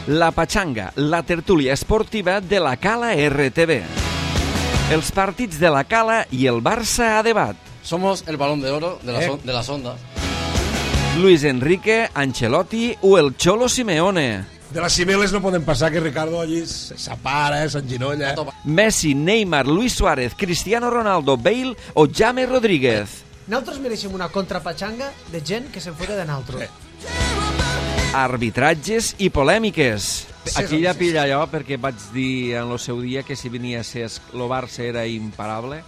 La Pachanga, la tertúlia esportiva de la Cala RTV. Els partits de la Cala i el Barça a debat. Somos el balón de oro de las ondas. Luis Enrique, Ancelotti o el Cholo Simeone. De les cimeles no poden passar que Ricardo allí s'apara, s'enginolla. Messi, Neymar, Luis Suárez, Cristiano Ronaldo, Bale o James Rodríguez. Nosaltres mereixem una contrapatxanga de gent que se'n fota de naltros. Arbitratges i polèmiques. Aquí ja pilla allò perquè vaig dir en el seu dia que si venia a ser el Barça era imparable.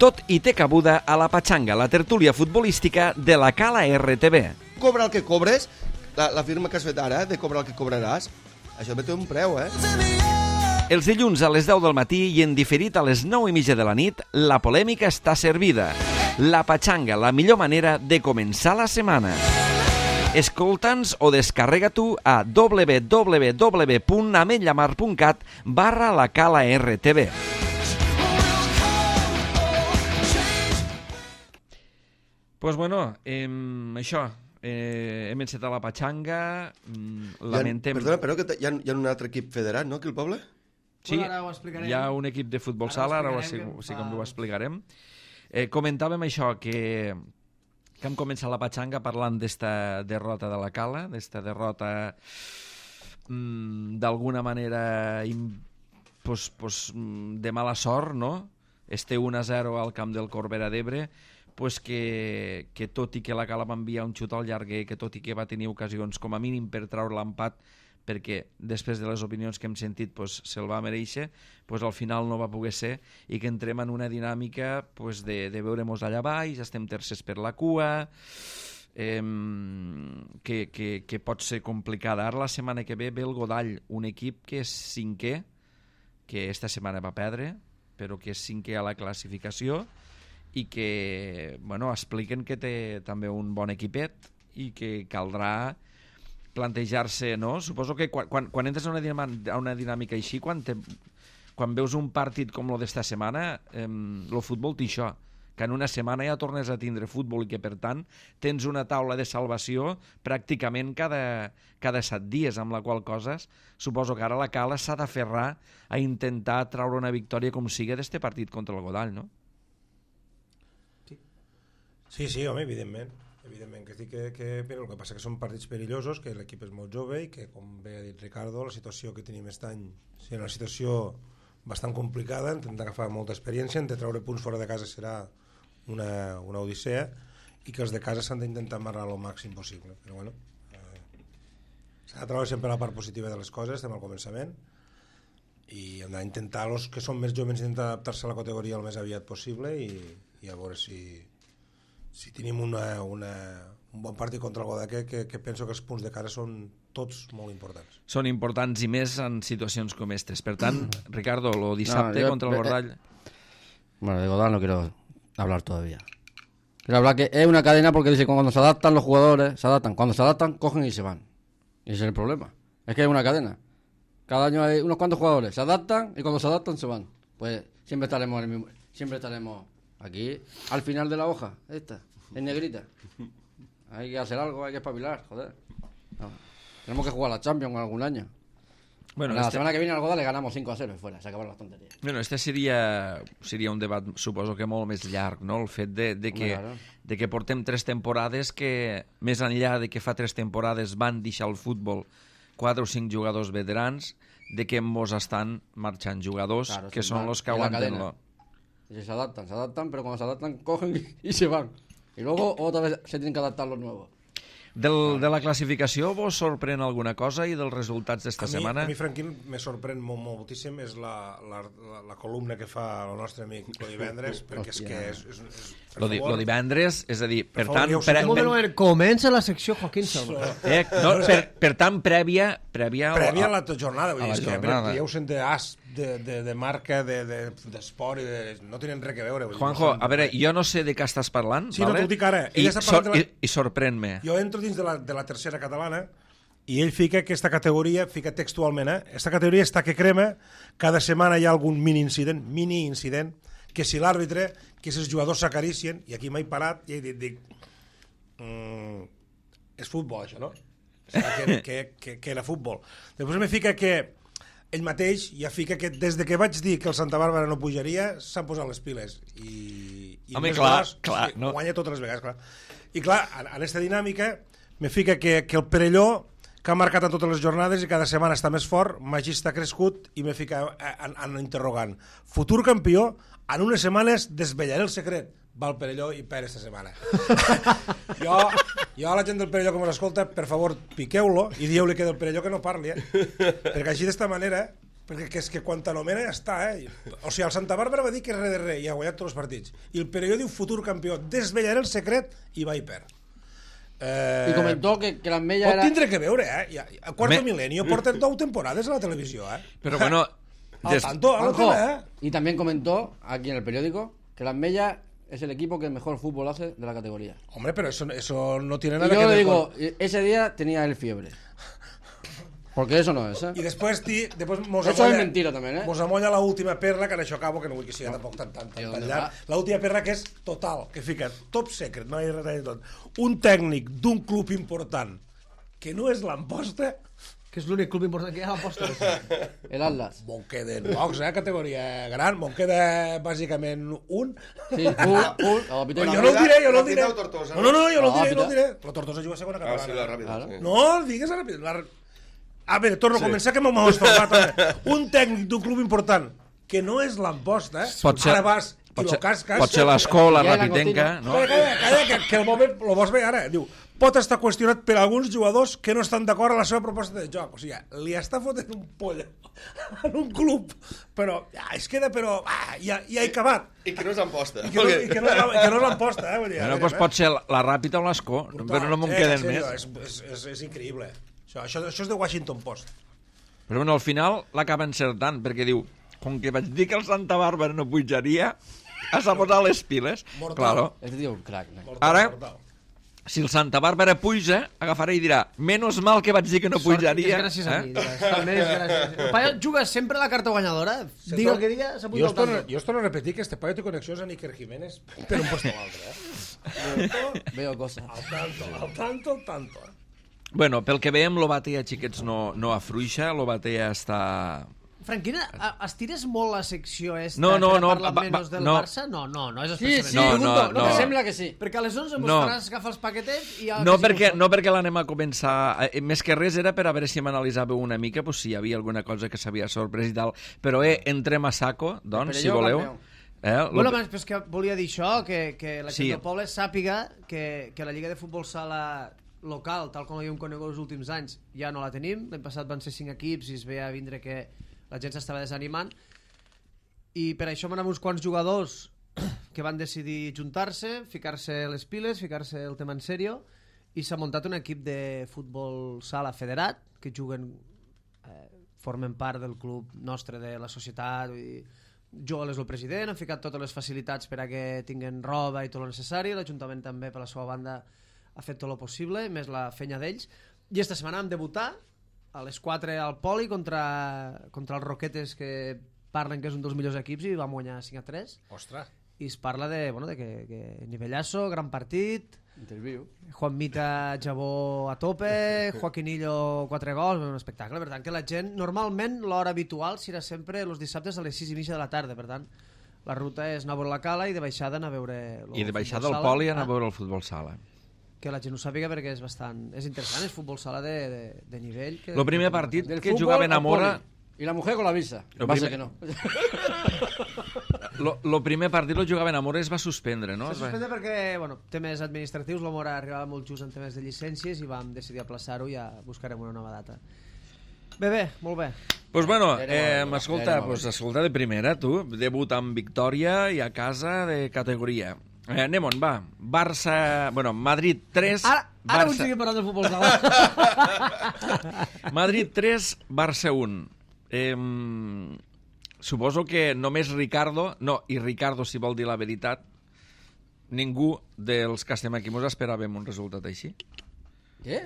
Tot i té cabuda a la Pachanga, la tertúlia futbolística de la Cala RTV. Cobra el que cobres, la firma que has fet ara, de cobrar el que cobraràs, això té un preu, Els dilluns a les 10 del matí i en diferit a les 9:30 de la nit, la polèmica està servida. La Pachanga, la millor manera de començar la setmana. Escolta'ns o descarrega-t'ho a www.ametllamar.cat/la Cala RTV. Pues bueno, això, hem encetat la Pachanga, lamentem... Perdona, però que hi ha un altre equip federat, no, aquí al poble? Sí, hi ha un equip de futbol sala, ara sí com ho explicarem. Comentàvem això, que hem començat la Pachanga parlant d'esta derrota de la Cala, d'esta derrota d'alguna manera de mala sort, no? Este 1-0 al camp del Corbera d'Ebre, pues que tot i que la Cala va enviar un xut al llarguer, que tot i que va tenir ocasions com a mínim per treure l'empat, perquè després de les opinions que hem sentit se'l va mereixer, al final no va poder ser, i que entrem en una dinàmica de veure-mos allà baix, estem tercers per la cua, que pot ser complicada. Ara la setmana que ve el Godall, un equip que és cinquè, que esta setmana va perdre, però que és cinquè a la classificació, i que expliquen que té també un bon equipet i que caldrà plantejar-se, no? Suposo que quan entres a una dinàmica així, quan veus un partit com el d'esta setmana, el futbol té això, que en una setmana ja tornes a tindre futbol i que, per tant, tens una taula de salvació pràcticament cada 7 dies, amb la qual cosa suposo que ara la Cala s'ha d'aferrar a intentar treure una victòria com sigui d'este partit contra el Godall, no? Sí, home, evidentment que sí però el que passa que són partits perillosos, que l'equip és molt jove i que, com bé ha dit Ricardo, la situació que tenim aquest any és una situació bastant complicada, hem d'agafar molta experiència, hem de treure punts fora de casa serà una odissea, i que els de casa s'han d'intentar amarrar el màxim possible, però bueno, s'ha de treure sempre la part positiva de les coses, estem al començament, i hem d'intentar, els que són més joves, intentar adaptar-se a la categoria el més aviat possible i a veure si tenim un bon partit contra el Godall, que penso que els punts de cara són tots molt importants. Són importants i més en situacions com aquestes. Per tant, Ricardo, el dissabte contra el Godall... Bueno, de Godall no quiero hablar todavía. Quiero hablar que es una cadena porque dice que cuando se adaptan los jugadores, cuando se adaptan, cogen y se van. Y ese es el problema. Es que es una cadena. Cada año hay unos cuantos jugadores, se adaptan y cuando se adaptan se van. Pues siempre estaremos aquí, al final de la hoja, esta, en negrita. Hay que hacer algo, hay que espabilar, joder. No. Tenemos que jugar a la Champions algún año. Bueno, la semana que viene al Godall le ganamos 5-0 y fuera, se acabaron las tonterías. Bueno, este seria un debat, suposo que molt més llarg, no? El fet de que portem 3 temporades que, més enllà de que fa 3 temporades van deixar el futbol 4 o 5 jugadors veterans, de que mos estan marxant jugadors que són els que aguanten lo. Se adaptan, pero cuando se adaptan cogen y se van. Y luego otra vez se tienen que adaptar los nuevos. De la classificació vos sorprèn alguna cosa i dels resultats d'esta setmana? A mi, Franquín, me sorprèn moltíssim és la columna que fa el nostre amic lo divendres, perquè és que és lo divendres, és a dir, per tant... Comença la secció Joaquín Salva. Per tant, prèvia a la jornada, vull dir, és que ja ho sent d'as, de marca, d'esport, no tenen res a veure. Juanjo, a veure, jo no sé de què estàs parlant, sí, no t'ho dic ara. I sorprèn-me. Jo entro dins de la tercera catalana i ell fica aquesta categoria, fica textualment, aquesta categoria està que crema, cada setmana hi ha algun mini incident, que si l'àrbitre, que si els jugadors s'acaricien, i aquí m'he parat i he dit, és futbol, això, no? Que era futbol. Després me fica que ell mateix ja fica que des de que vaig dir que el Santa Bàrbara no pujaria s'han posat les piles i home, més clar, sí, no? guanya totes les vegades, clar. I clar, en aquesta dinàmica me fica que el Perelló, que ha marcat en totes les jornades i cada setmana està més fort, Magí està crescut i me fica en interrogant. Futur campió, en unes setmanes desvetllaré el secret. Va el Perelló i perd esta setmana. jo a la gent del Perelló que mos escolta, per favor, piqueu-lo i dieu-li que del Perelló que no parli, perquè així d'esta manera, perquè és que quan t'anomena ja està, o sigui, el Santa Bàrbara va dir que és res de res i ha guanyat tots els partits, i el Perelló diu futur campió, desvetllaré el secret i va i perd. I comentó que l'Ametlla pot era... tindre que veure, a Quarto Milenio porten 2 temporades a la televisió, Pero bueno... Al tanto, a la Juanjo, tele, y también comentó aquí en el periódico que l'Ametlla es el equipo que mejor fútbol hace de la categoría. Hombre, pero eso no tiene Y nada que yo ver le digo, con... ese día tenía él fiebre. Porque eso no es, ¿eh? I després mos Eso es mentira también, ¿eh? Mos amolla l'última perla, que en això acabo, que no vull que sigui tampoc tan llarg. L'última perla que és total, que fica top secret, no hi ha res de tot. Un tècnic d'un club important que no és l'Amposta, Que és l'únic club important que hi ha a l'aposta. El Atlas. me'n queden pocs, categoria gran, me'n queda bàsicament un. Sí, el Però jo no el diré, jo no el diré. Ràpida o Tortosa? No, jo no el diré, Ràpida. no el diré. La Tortosa juga a segona Ah, sí, la catalana. ràpida. Claro. Sí. No, digues a ràpid. A veure, torno a començar, que m'ho esforçat també. Un tècnic d'un club important, que no és l'Amposta, Pot ser- ara vas i lo casques... Pot ser l'escola Ja era rapitenca, no? Calla, que lo vols veure ara. Diu, pot estar qüestionat per alguns jugadors que no estan d'acord amb la seva proposta de joc. O sigui, li està fotent un poll en un club, però es queda, ja he acabat. I que no és Amposta. I que no és l'Amposta, vull dir. Bueno, doncs pot ser la Ràpita o l'Escó, però no me'n queden més. És increïble. Això és de Washington Post. Però bueno, al final l'acaba encertant, perquè diu, com que vaig dir que el Santa Bàrbara no pujaria, has de posar les piles. Mortal. Claro. Este tío es un crack, ¿no? Ara, si el Santa Bàrbara puja, agafarà i dirà, menos mal que vaig dir que no pujaria. És gràcies a mi. També és gràcies. El paio juga sempre la carta guanyadora. Diga el que diga, s'ha Jo apuntat al tanto. es torno a repetir que este paio té connexions a Iker Jiménez per un puesto o altre. Veo cosas. Al tanto. Bueno, pel que veiem, l'Obatea, xiquets, no afluixa, l'Obatea està... Franquina, estires molt la secció esta No, per a parlar va, menys del no. Barça? No, és Sí, expressament. sí, No, pregunto. no. Me sembla que sí. Perquè a les 11 mos No. faràs agafar els paquetets i... No perquè l'anem a començar... Més que res era per a veure si m'analitzàveu una mica, pues, si hi havia alguna cosa que s'havia sorprès i tal. Però entrem a saco, doncs, si Perelló, voleu. campió. Bueno, però és que volia dir això, que la gent Sí. del poble sàpiga que la Lliga de Futbol Sala local, tal com l'havíem conegut els últims anys, ja no la tenim. L'any passat van ser 5 equips i es veia a vindre que la gent s'estava desanimant. I per això van haver uns quants jugadors que van decidir juntar-se, ficar-se les piles, ficar-se el tema en sèrio, i s'ha muntat un equip de futbol sala federat, que juguen, formen part del club nostre de la societat, i Joel és el president, han ficat totes les facilitats per a que tinguin roba i tot el necessari, l'Ajuntament també per la seva banda ha fet tot el possible, més la fenya d'ells, i esta setmana vam debutar a les 4 al Poli contra els Roquetes, que parlen que és un dels millors equips, i vam guanyar 5-3. Ostres. I es parla de que nivellasso, gran partit, Interview. Juan Mita Jabó a tope, Joaquinillo 4 gols, un espectacle. Per tant, que la gent, normalment l'hora habitual serà sempre els dissabtes a les 6:30 de la tarda, per tant la ruta és anar a veure la Cala i de baixada anar a veure I de baixada al Poli anar a veure el futbol sala. que la gent ho sàpiga, perquè és interessant, és futbol sala de nivell. El primer partit Del que fútbol jugaven a al Mora... poli. Y la mujer con la visa. Lo Va a ser primer- que no. El primer partit el jugaven a Mora i es va suspendre, no? Se suspende perquè, temes administratius, l'Omora arribava molt just en temes de llicències i vam decidir aplaçar-ho i ja buscarem una nova data. Bé, molt bé. Pues bueno, Veremos, escolta, veremos. escolta de primera, tu, debut amb victòria i a casa de categoria. Anem-on, va. Barça... Bueno, Madrid 3... Ara vull seguir parlant de futbol sala. Madrid 3, Barça 1. Suposo que només Ricardo... No, i Ricardo, si vol dir la veritat, ningú dels que estem aquí mos esperàvem un resultat així. ¿Qué?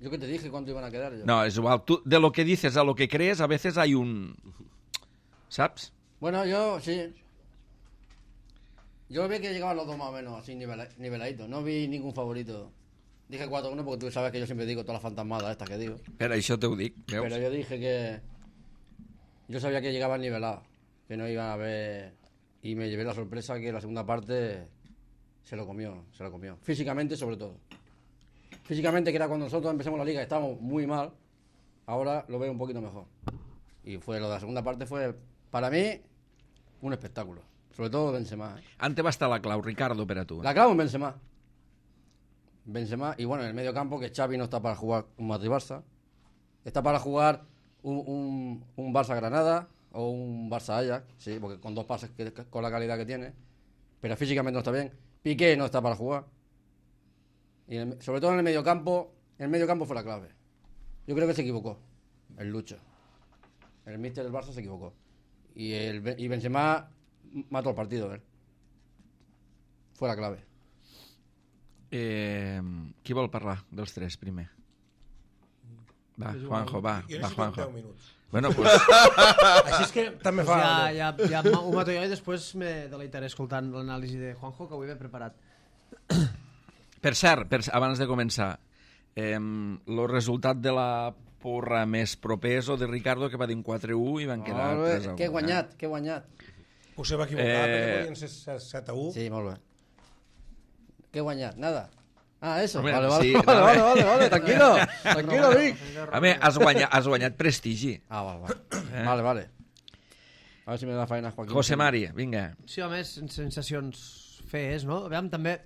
Yo que te dije cuánto iban a quedar. Yo. No, es igual. Tú, de lo que dices a lo que crees, a veces hay un... ¿Saps? Bueno, yo sí. Yo vi que llegaban los dos más o menos así niveladitos. No vi ningún favorito. Dije 4-1 porque tú sabes que yo siempre digo todas las fantasmadas estas que digo. Per això t'ho dic, veus? Pero yo dije que yo sabía que llegaban nivelados, que no iban a haber... Y me llevé la sorpresa que la segunda parte se lo comió. Físicamente sobre todo. Físicamente, que era cuando nosotros empezamos la liga, estábamos muy mal, ahora lo veo un poquito mejor. Y lo de la segunda parte fue, para mí, un espectáculo. Sobre todo Benzema. Ante va estar la clau, Ricardo, per a tu. La clavo en Benzema. Benzema, y bueno, en el medio campo, que Xavi no está para jugar un Madrid-Barça. Está para jugar un Barça-Granada o un Barça-Ajax, sí, porque con 2 pases con la calidad que tiene. Pero físicamente no está bien. Piqué no está para jugar. Y sobre todo en el mediocampo fue la clave. Yo creo que se equivocó el Lucho. El míster del Barça se equivocó. Y Benzema mató el partido, Fue la clave. Qui vol parlar dels 3 primer? Va, Juanjo, va. Jo Va, necessito Juanjo. 10 minuts. Bueno, pues, Així és que també fa... Ja ho mato jo i després me deleitaré escoltant l'anàlisi de Juanjo, que ho he ben preparat. per cert, abans de començar, el resultat de la porra més proper és el de Ricardo, que va dir un 4-1 i van quedar 3-1. Que he guanyat. Potser va equivocar, perquè podien ser 7-1. Sí, molt bé. Que he guanyat, nada. Ah, eso. Hombre, Vale, sí, vale, tranquilo, Vic. A més, has guanyat prestigi. Ah, vale. A ver si me da faena Joaquín. José Mari, vinga. Sí, home, sensacions fees, no? Aviam, també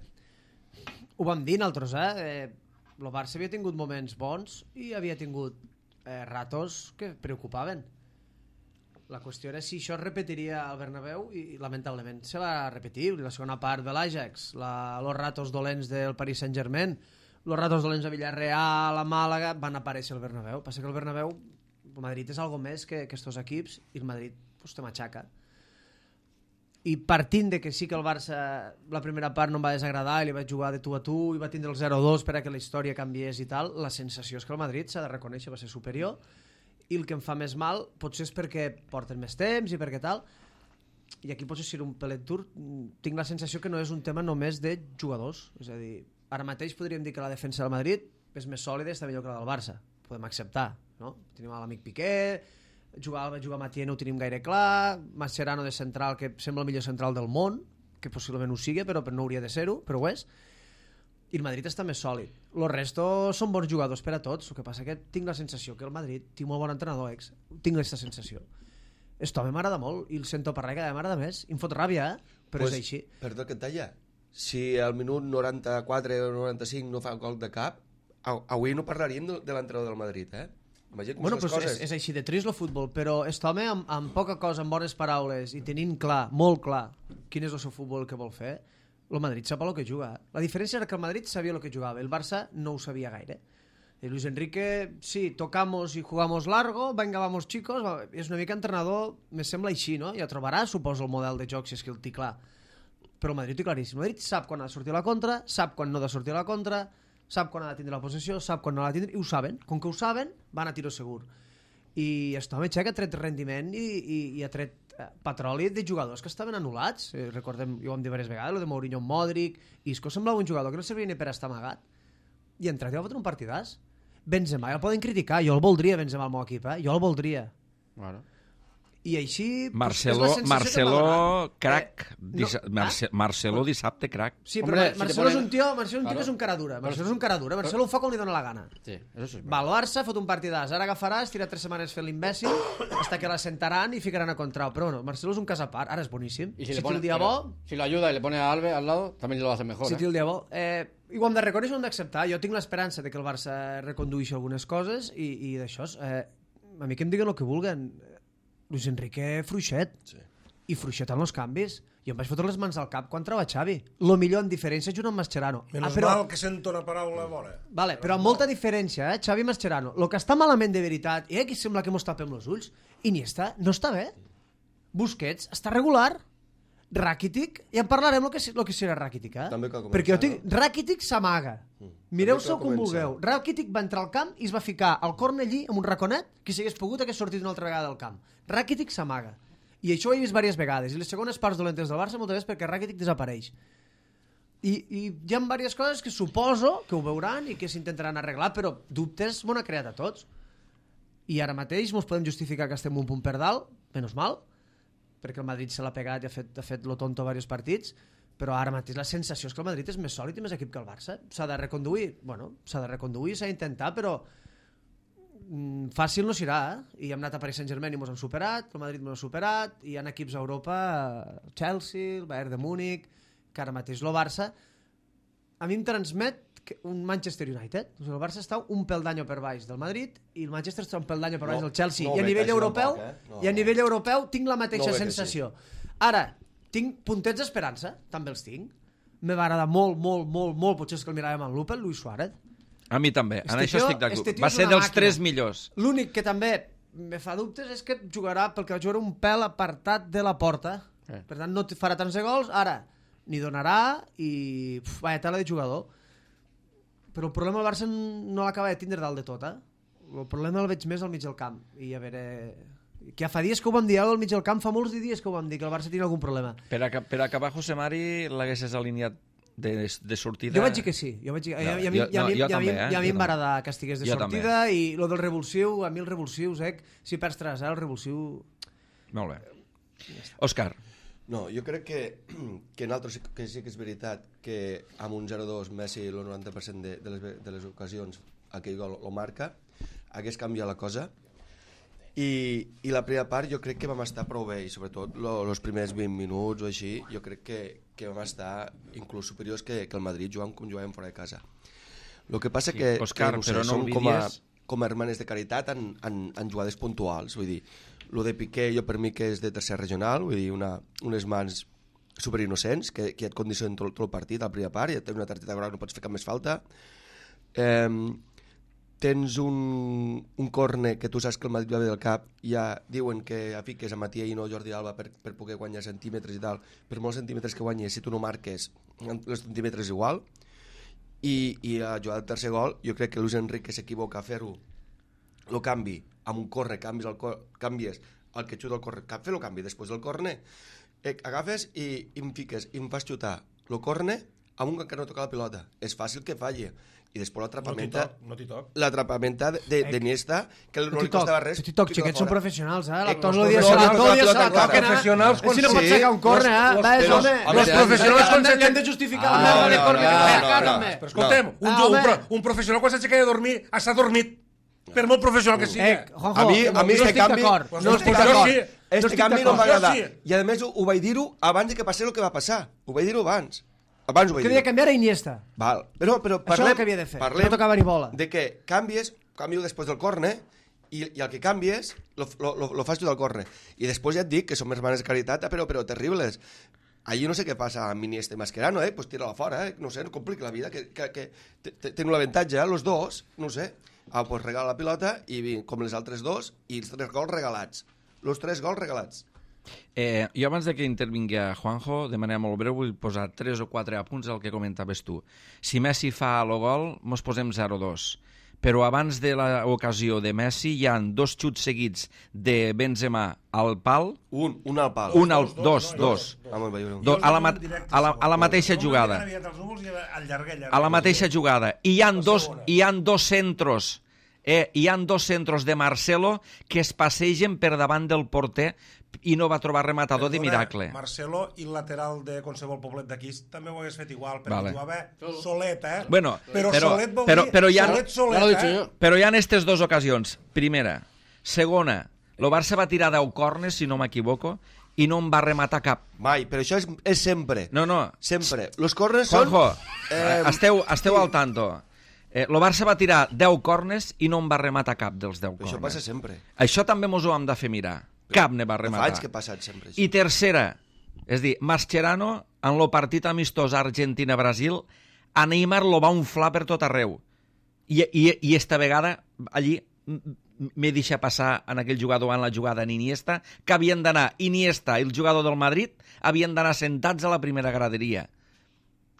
ho vam dir nosaltres, el Barça havia tingut moments bons i havia tingut ratos que preocupaven. La qüestió era si això es repetiria al Bernabéu i lamentablement se va repetir. La segona part de l'Ajax, los ratos dolents del Paris Saint-Germain, los ratos dolents a Villarreal, a Màlaga, van aparèixer al Bernabéu. Passa que el Bernabéu, el Madrid és algo més que estos equips i el Madrid pues, te matxaca. I partint de que sí que el Barça la primera part no em va desagradar i li vaig jugar de tu a tu i va tindre el 0-2 per a que la història canviés i tal, la sensació és que el Madrid s'ha de reconèixer va ser superior i el que em fa més mal potser és perquè porten més temps i perquè tal, i aquí potser ser un pelet dur, tinc la sensació que no és un tema només de jugadors, és a dir, ara mateix podríem dir que la defensa del Madrid és més sòlida i està millor que la del Barça, podem acceptar, no? Tenim l'amic Piqué, jugar Mathieu no ho tenim gaire clar, Mascherano de central, que sembla el millor central del món, que possiblement ho sigui, però no hauria de ser-ho, però ho és, i el Madrid està més sòlid. Los restos són bons jugadors per a tots, el que passa que tinc la sensació que el Madrid té molt bon entrenador, tinc aquesta sensació. Esto a mi m'agrada molt, i el sento parlar cada m'agrada més, i em fot ràbia, però pues, és així. Perdó que et talla, si al minut 94 o 95 no fa gol de cap, avui no parlaríem de l'entrenador del Madrid, Bueno, pues coses. És així de trist el futbol, però aquest home amb poca cosa, amb bones paraules i tenint clar, molt clar, quin és el seu futbol que vol fer, el Madrid sap el que juga. La diferència era que el Madrid sabia el que jugava, el Barça no ho sabia gaire. El Luis Enrique, sí, tocamos y jugamos largo, venga, vamos chicos, és una mica entrenador, me sembla així, no? Ja trobarà, suposo, el model de joc si és que el té clar. Però el Madrid ho té claríssim. El Madrid sap quan ha de sortir a la contra, sap quan no ha de sortir a la contra, sap quan ha de tindre la possessió, sap quan no ha de tindre, i ho saben. Com que ho saben, van a tiro segur. I això home, ha tret rendiment i ha tret petroli de jugadors que estaven anul·lats. Recordem, jo ho hem dit diverses vegades, el de Mourinho, Modric, Isco semblava un jugador que no servia ni per estar amagat. I entrat i va fotre un partidàs. Benzema, ja el poden criticar, jo el voldria Benzema al meu equip, jo el voldria. Bueno. I així... Marcelo crac. Marcelo dissabte crac. Sí, però Marcelo és un tio que és un cara dura. Marcelo és un cara dura. Marcelo ho fa com li dóna la gana. Sí, eso sí. Va al Barça, fot un partidàs. Ara agafarà, estirà 3 setmanes fent l'imbècil, hasta que la sentaran i ficaran a contrau. Però bueno, Marcelo és un cas a part. Ara és boníssim. Si té el dia bo... Si lo ayuda y le pone a Alves al lado, también lo hace mejor. Si té el dia bo. I ho hem de reconèixer, ho hem d'acceptar. Jo tinc l'esperança de que el Barça recondueixi algunes coses i d'això. A mi que em diguen el que vulguen. Luis Enrique fluixet. Sí. I fluixet en els canvis. Jo em vaig fotre les mans al cap quan trava Xavi. Lo millor en diferència junt amb Mascherano. Menos mal que sento una paraula bona. Vale, però amb molta diferència, Xavi i Mascherano. Lo que està malament de veritat, que sembla que mos tapem els ulls, Iniesta no està bé. Busquets està regular. Rakitic, ja en parlarem lo que serà Rakitic, perquè jo tinc... Rakitic s'amaga. Mireu-se com vulgueu. Rakitic va entrar al camp i es va ficar al corner allí amb un raconet que si hagués pogut hagués sortit una altra vegada del camp. Rakitic s'amaga. I això ho he vist diverses vegades. I les segones parts dolentes del Barça moltes vegades perquè Rakitic desapareix. I hi ha diverses coses que suposo que ho veuran i que s'intentaran arreglar, però dubtes m'ho ha creat a tots. I ara mateix mos podem justificar que estem un punt per dalt, menys mal, perquè el Madrid se l'ha pegat i ha fet lo tonto diversos partits, però ara mateix la sensació és que el Madrid és més sòlid i més equip que el Barça. S'ha de reconduir, s'ha d'intentar, però fàcil no serà, I hem anat a Paris Saint-Germain i mos han superat, el Madrid mos ha superat, i hi ha equips a Europa, Chelsea, el Bayern de Múnich, que ara mateix el Barça a mi em transmet un Manchester United. O sigui, el Barça està un pel d'any per baix del Madrid i el Manchester està un pel d'any per baix del Chelsea. I a nivell europeu, nivell europeu tinc la mateixa sensació. Ara, tinc puntets d'esperança, també els tinc. Me va agradar molt, potser és que el miràvem amb lupa, el Luis Suárez. A mi també, en això estic d'acord. Va ser dels 3 millors. L'únic que també me fa dubtes és que jugarà, perquè jugarà un pèl apartat de la porta. Per tant, no farà tants de gols. Ara, n'hi donarà i... Vaya tela de jugador. Però el problema del Barça no l'acaba de tindre dalt de tot, El problema el veig més al mig del camp. I a veure... Que ja fa dies que ho vam dir, al mig del camp fa molts dies que ho vam dir, que el Barça tenia algun problema. Per acabar, José Mari, l'haguessis alineat de sortida? Jo vaig dir que sí. I a mi em va agradar que estigués de sortida i lo del revulsiu, a mi els revulsius, si perds 3-0, el revulsiu... Molt bé. Òscar. No, jo crec que nosaltres que sí que és veritat que amb un 0-2 Messi el 90% de les ocasions aquell gol lo marca, hagués canviat la cosa i la primera part jo crec que vam estar prou bé i sobretot els primers 20 minuts o així jo crec que vam estar inclús superiors que el Madrid jugant com jugàvem fora de casa. El que passa que, Òscar, que no sé, som com a hermanes de caritat en jugades puntuals, vull dir, lo de Piqué jo per mi que és de tercer regional, vull dir, unes mans superinnocents que et condicionen tot el partit a la primera part, ja tens una targeta groga, no pots fer cap més falta. Tens un córner que tu saps que el Madrid va bé del cap, ja diuen que fiques a Matías i no Jordi Alba per poder guanyar centímetres i tal, per molts centímetres que guanyes, si tu no marques els centímetres igual, i a jugar del tercer gol jo crec que Luis Enrique s'equivoca a fer-ho el canvi, amb un córner canvies el que xuta el córner, fer el canvi després del córner, agafes i em fiques i em fas xutar el córner amb un que no toca la pilota, és fàcil que falli i després l'atrapamenta d'Iniesta que no li costava res. TikTok, xiquets són professionals, Tots els dies se la toquen, professionals si no pots sacar un córner, els professionals quan li han de justificar la merda de córner que sacaron. Però escoltem, un professional quan s'aixeca de dormir està dormit, per molt professional que sigui. A mi este canvi no estic d'acord. Este canvi no m'agrada i a més ho vaig dir-ho abans que passés el que va passar, ho vaig dir-ho abans. Que havia de canviar a Iniesta. Val. Però això és el que havia de fer. No tocava ni bola. De que canvio després del córner i el que canvies lo fas tu del córner. I després ja et dic que som hermanes de caritat, però terribles. Allí no sé què passa amb Iniesta i Mascherano, pues tira-la fora, no sé, no complica la vida, que tenen l'avantatge, los dos, no sé. Pues regala la pilota i com les altres dos i els 3 gols regalats. Los 3 gols regalats. Jo abans de que intervingui Juanjo, de manera molt breu, vull posar 3 o 4 apunts al que comentaves tu. Si Messi fa el gol, mos posem 0-2. Però abans de l'ocasió de Messi hi ha 2 xuts seguits de Benzema al pal. Un al pal. Dos. A la mateixa jugada. A la mateixa jugada. I hi ha dos centros. Hi ha 2 centros de Marcelo que es passegen per davant del porter i no va trobar rematador de miracle. Marcelo i el lateral de qualsevol poblet d'aquí també ho hagués fet igual, perquè jugava solet, Bueno, però solet vol dir solet. Però hi ha aquestes 2 ocasions. Primera. Segona, el Barça va tirar 10 corners, si no m'equivoco, i no en va rematar cap. Mai, però això és sempre. No. Sempre. Los corners són... Juanjo, esteu al tanto. El Barça va tirar 10 corners i no en va rematar cap dels 10 corners. Això passa sempre. Això també mos ho hem de fer mirar. Cap ne va rematar. Fa anys que ha passat sempre. I tercera, és dir, Mascherano, en el partit amistós Argentina-Brasil, a Neymar lo va inflar per tot arreu. I esta vegada, allí, m'he deixat passar en aquell jugador en la jugada en Iniesta, que havien d'anar Iniesta i el jugador del Madrid havien d'anar sentats a la primera graderia.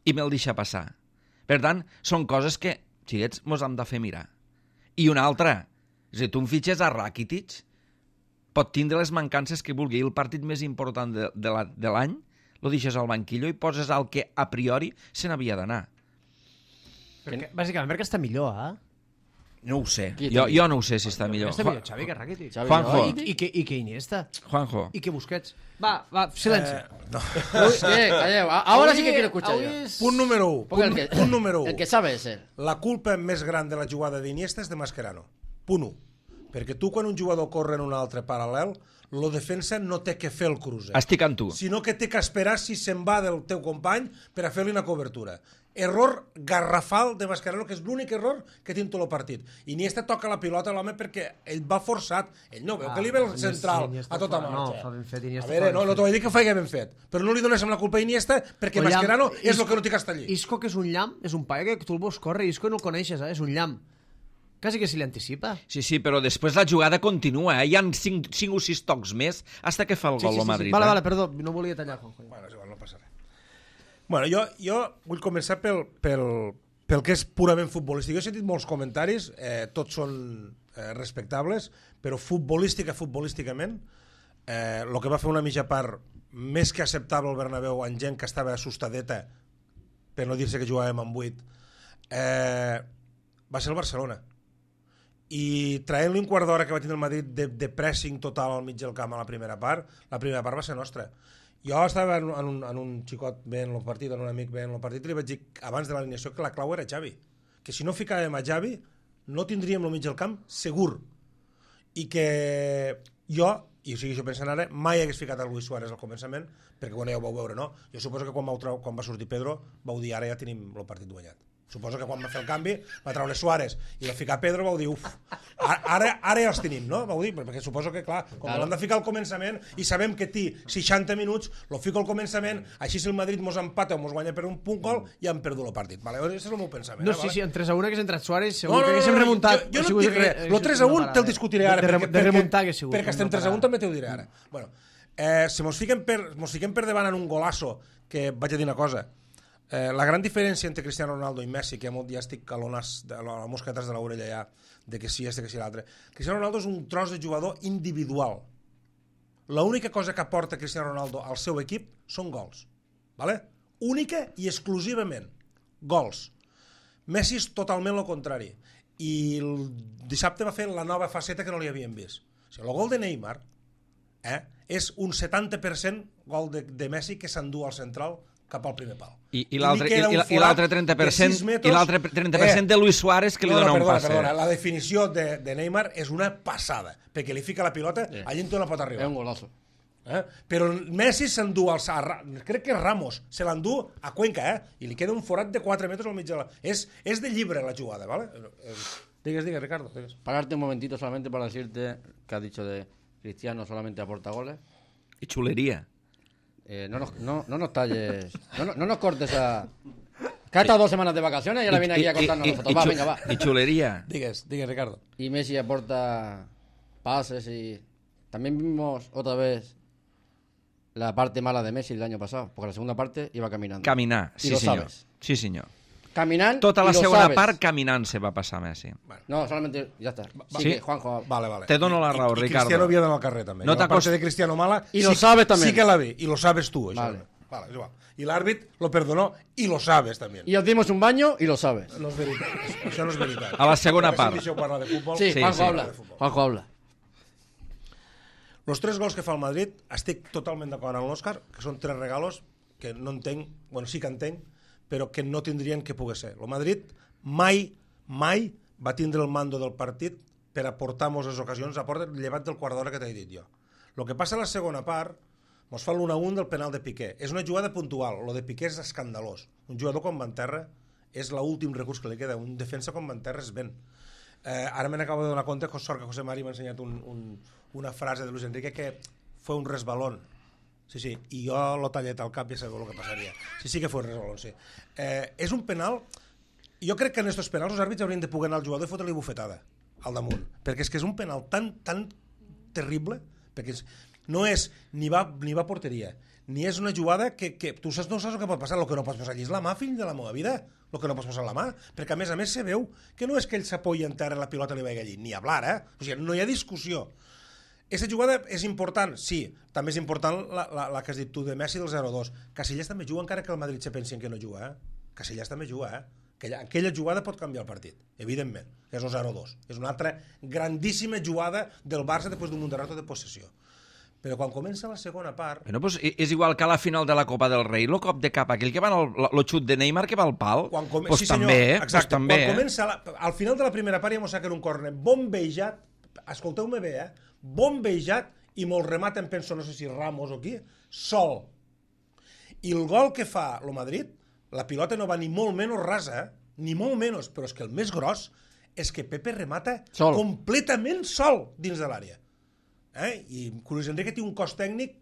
I me'l deixa passar. Per tant, són coses que, xiquets, mos hem de fer mirar. I una altra, és a dir, tu em fitxes a Rakitic, pot tindre les mancances que vulgui. El partit més important de l'any, lo deixes al banquillo i poses el que a priori se n'havia d'anar. Perquè, bàsicament perquè està millor, No ho sé, Qui jo no ho sé si està millor. Està millor Xavi que Rakitic. Xavi, Juanjo. no? I que Iniesta. Juanjo, I que Busquets. Va, silenci. No. Uy, calleu. Ahora sí que quiero escuchar yo. Punt número 1. Porque Punt número 1. El que sabe es él. La culpa més gran de la jugada d'Iniesta és de Mascherano. Punt 1. Perquè tu, quan un jugador corre en un altre paral·lel, lo defensa no té que fer el cruce, estic amb tu. sinó que té que esperar si se'n va del teu company per a fer-li una cobertura. Error garrafal de Mascherano, que és l'únic error que té en tot el partit. Iniesta toca la pilota a l'home perquè ell va forçat. Ell no veu que li ve el central a tota marxa. No, fa ben fet Iniesta. A veure, no t'ho vaig dir que feia ben fet, però no li dones amb la culpa a Iniesta perquè Mascherano és el que no té que estar allí. Isco, que és un llamp, és un paio que tu el veus córrer, Isco no el coneixes, és un llamp. Quasi que se li anticipa. Sí, però després la jugada continua, Hi ha 5 o 6 tocs més hasta que fa el gol el Madrid. Vale, perdó, no volia tallar, Juanjo. Bueno, és igual, no passa res. Bueno, jo vull començar pel que és purament futbolístic. Jo he sentit molts comentaris, tots són respectables, però futbolísticament, el que va fer una mitja part més que acceptable al Bernabéu en gent que estava assustadeta, per no dir-se que jugàvem amb 8, va ser el Barcelona. I traient-li un quart d'hora que va tindre el Madrid de pressing total al mig del camp a la primera part va ser nostra. Jo estava en un xicot veient el partit, en un amic veient el partit, i li vaig dir abans de l'alineació que la clau era Xavi, que si no ficàvem a Xavi no tindríem el mig del camp segur, i que jo, i o sigui, jo pensant ara, mai hagués ficat a Luis Suárez al començament, perquè quan ja ho vau veure, no? Jo suposo que quan va sortir Pedro vau dir ara ja tenim el partit guanyat. Suposo que quan va fer el canvi va treure Suárez i va ficar Pedro, vau dir, ara ja els tenim, no? Vau dir, perquè suposo que, clar, com l'han de ficar al començament i sabem que té 60 minuts, lo fico al començament, així si el Madrid mos empata o mos guanya per un punt gol, ja hem perdut el partit. Vale? Aquest és el meu pensament. No, sí, en 3-1 hagués entrat Suárez, segur que haguéssim remuntat. Jo no et dic res, el 3-1 te'l discutiré ara, de remuntar hagués sigut. perquè estem 3-1 també t'ho diré ara. Bueno, si mos fiquem per davant en un golasso, que vaig a dir una cosa, la gran diferència entre Cristiano Ronaldo i Messi, que ja estic a les mosquetes de l'orella ja, de que sí este, que sí l'altre. Cristiano Ronaldo és un tros de jugador individual. L'única cosa que aporta Cristiano Ronaldo al seu equip són gols. Vale? Única i exclusivament. Gols. Messi és totalment el contrari. I el dissabte va fer la nova faceta que no li havíem vist. O sigui, el gol de Neymar és un 70% gol de Messi que s'endú al central cap al primer pal. I l'altre 30%, i l'altre 30% de Luis Suárez que li dona un passe. Perdona, la definició de Neymar és una passada, perquè li fica la pilota allí on no pot arribar. Es un golazo. Però Messi s'endú crec que Ramos se l'endú a Cuenca, i li queda un forat de 4 metres al mig de la... És de llibre la jugada, ¿vale? Digues, Ricardo. Digues. Pararte un momentito solamente para decirte que has dicho de Cristiano solamente aporta goles. I xuleria. No nos talles, no nos cortes a... Que ha estado 2 semanas de vacaciones y ahora viene aquí a contarnos nosotros. Va, venga, va. I xuleria. Digues, Ricardo. Y Messi aporta pases y... También vimos otra vez la parte mala de Messi el año pasado, porque la segunda parte iba caminando. Caminar, Y sí lo senyor. sabes. Sí senyor. Caminar Tota la y lo segona sabes. part caminant se va passar Messi. No, solamente... Ya está. Sí. Sí, que Juanjo... Vale. Te dono la raó, I Ricardo. Cristiano havia d'anar al carrer, també. No La parte t'acostes- de Cristiano mala... Y lo sabes también. Sí que la vi, y lo sabes tú. Això. Vale. Vale, és igual. Y l'àrbit lo perdonó, y lo sabes també. Y os dimos un baño y lo sabes. No és veritat. Això no és veritat. A la segona Si part. deixeu parlar de futbol... Sí, Sí, Juanjo sí. habla. Juanjo habla. Los 3 gols que fa el Madrid, estic totalment d'acord amb l'Òscar, que són 3 regalos que no entenc, bueno, sí que entenc, però que no tindrien que poder ser. El Madrid mai va tindre el mando del partit per aportar moltes ocasions, aporta llevat del quart d'hora que t'he dit jo. El que passa a la segona part, mos fa l'1-1 del penal de Piqué. És una jugada puntual, lo de Piqué és escandalós. Un jugador com Van Terra és l'últim recurs que li queda, un defensa com Van Terra és ben. Ara me n'acabo de donar compte que sort que José Mari m'ha ensenyat una frase de Luis Enrique que fue un resbalón. Sí, i jo l'ho tallet al cap i ja sabeu el que passaria. Sí que fue un resbalón, sí. És un penal... Jo crec que en estos penals els àrbits haurien de poder anar al jugador i fotre-li bufetada al damunt, perquè és que és un penal tan terrible, perquè no és ni va a porteria, ni és una jugada que tu no saps el que pot passar. El que no pots posar allí és la mà, fill de la meva vida, el que no pots posar la mà, perquè a més se veu que no és que ell s'apoyi en terra i la pilota li vagi allí, ni hablar, o sigui, no hi ha discussió. Aquesta jugada és important, sí. També és important la que has dit tu de Messi del 0-2. Casillas també juga encara que el Madrid se pensi que no juga, Casillas també juga, Aquella jugada pot canviar el partit, evidentment, que és el 0-2. És una altra grandíssima jugada del Barça després d'un munt de rato de possessió. Però quan comença la segona part... Bueno, pues és igual que a la final de la Copa del Rei, el cop de cap, aquell que va el xut de Neymar que va al pal, pues sí, també, exacte. Pues també. Quan comença, al final de la primera part ja mos saquen un córner bombejat, escolteu-me bé, bombejat, i molt rematen, penso, no sé si Ramos o qui, sol. I el gol que fa el Madrid, la pilota no va ni molt menys rasa, ni molt menys, però és que el més gros és que Pepe remata completament sol dins de l'àrea. I Luis Enrique té un cos tècnic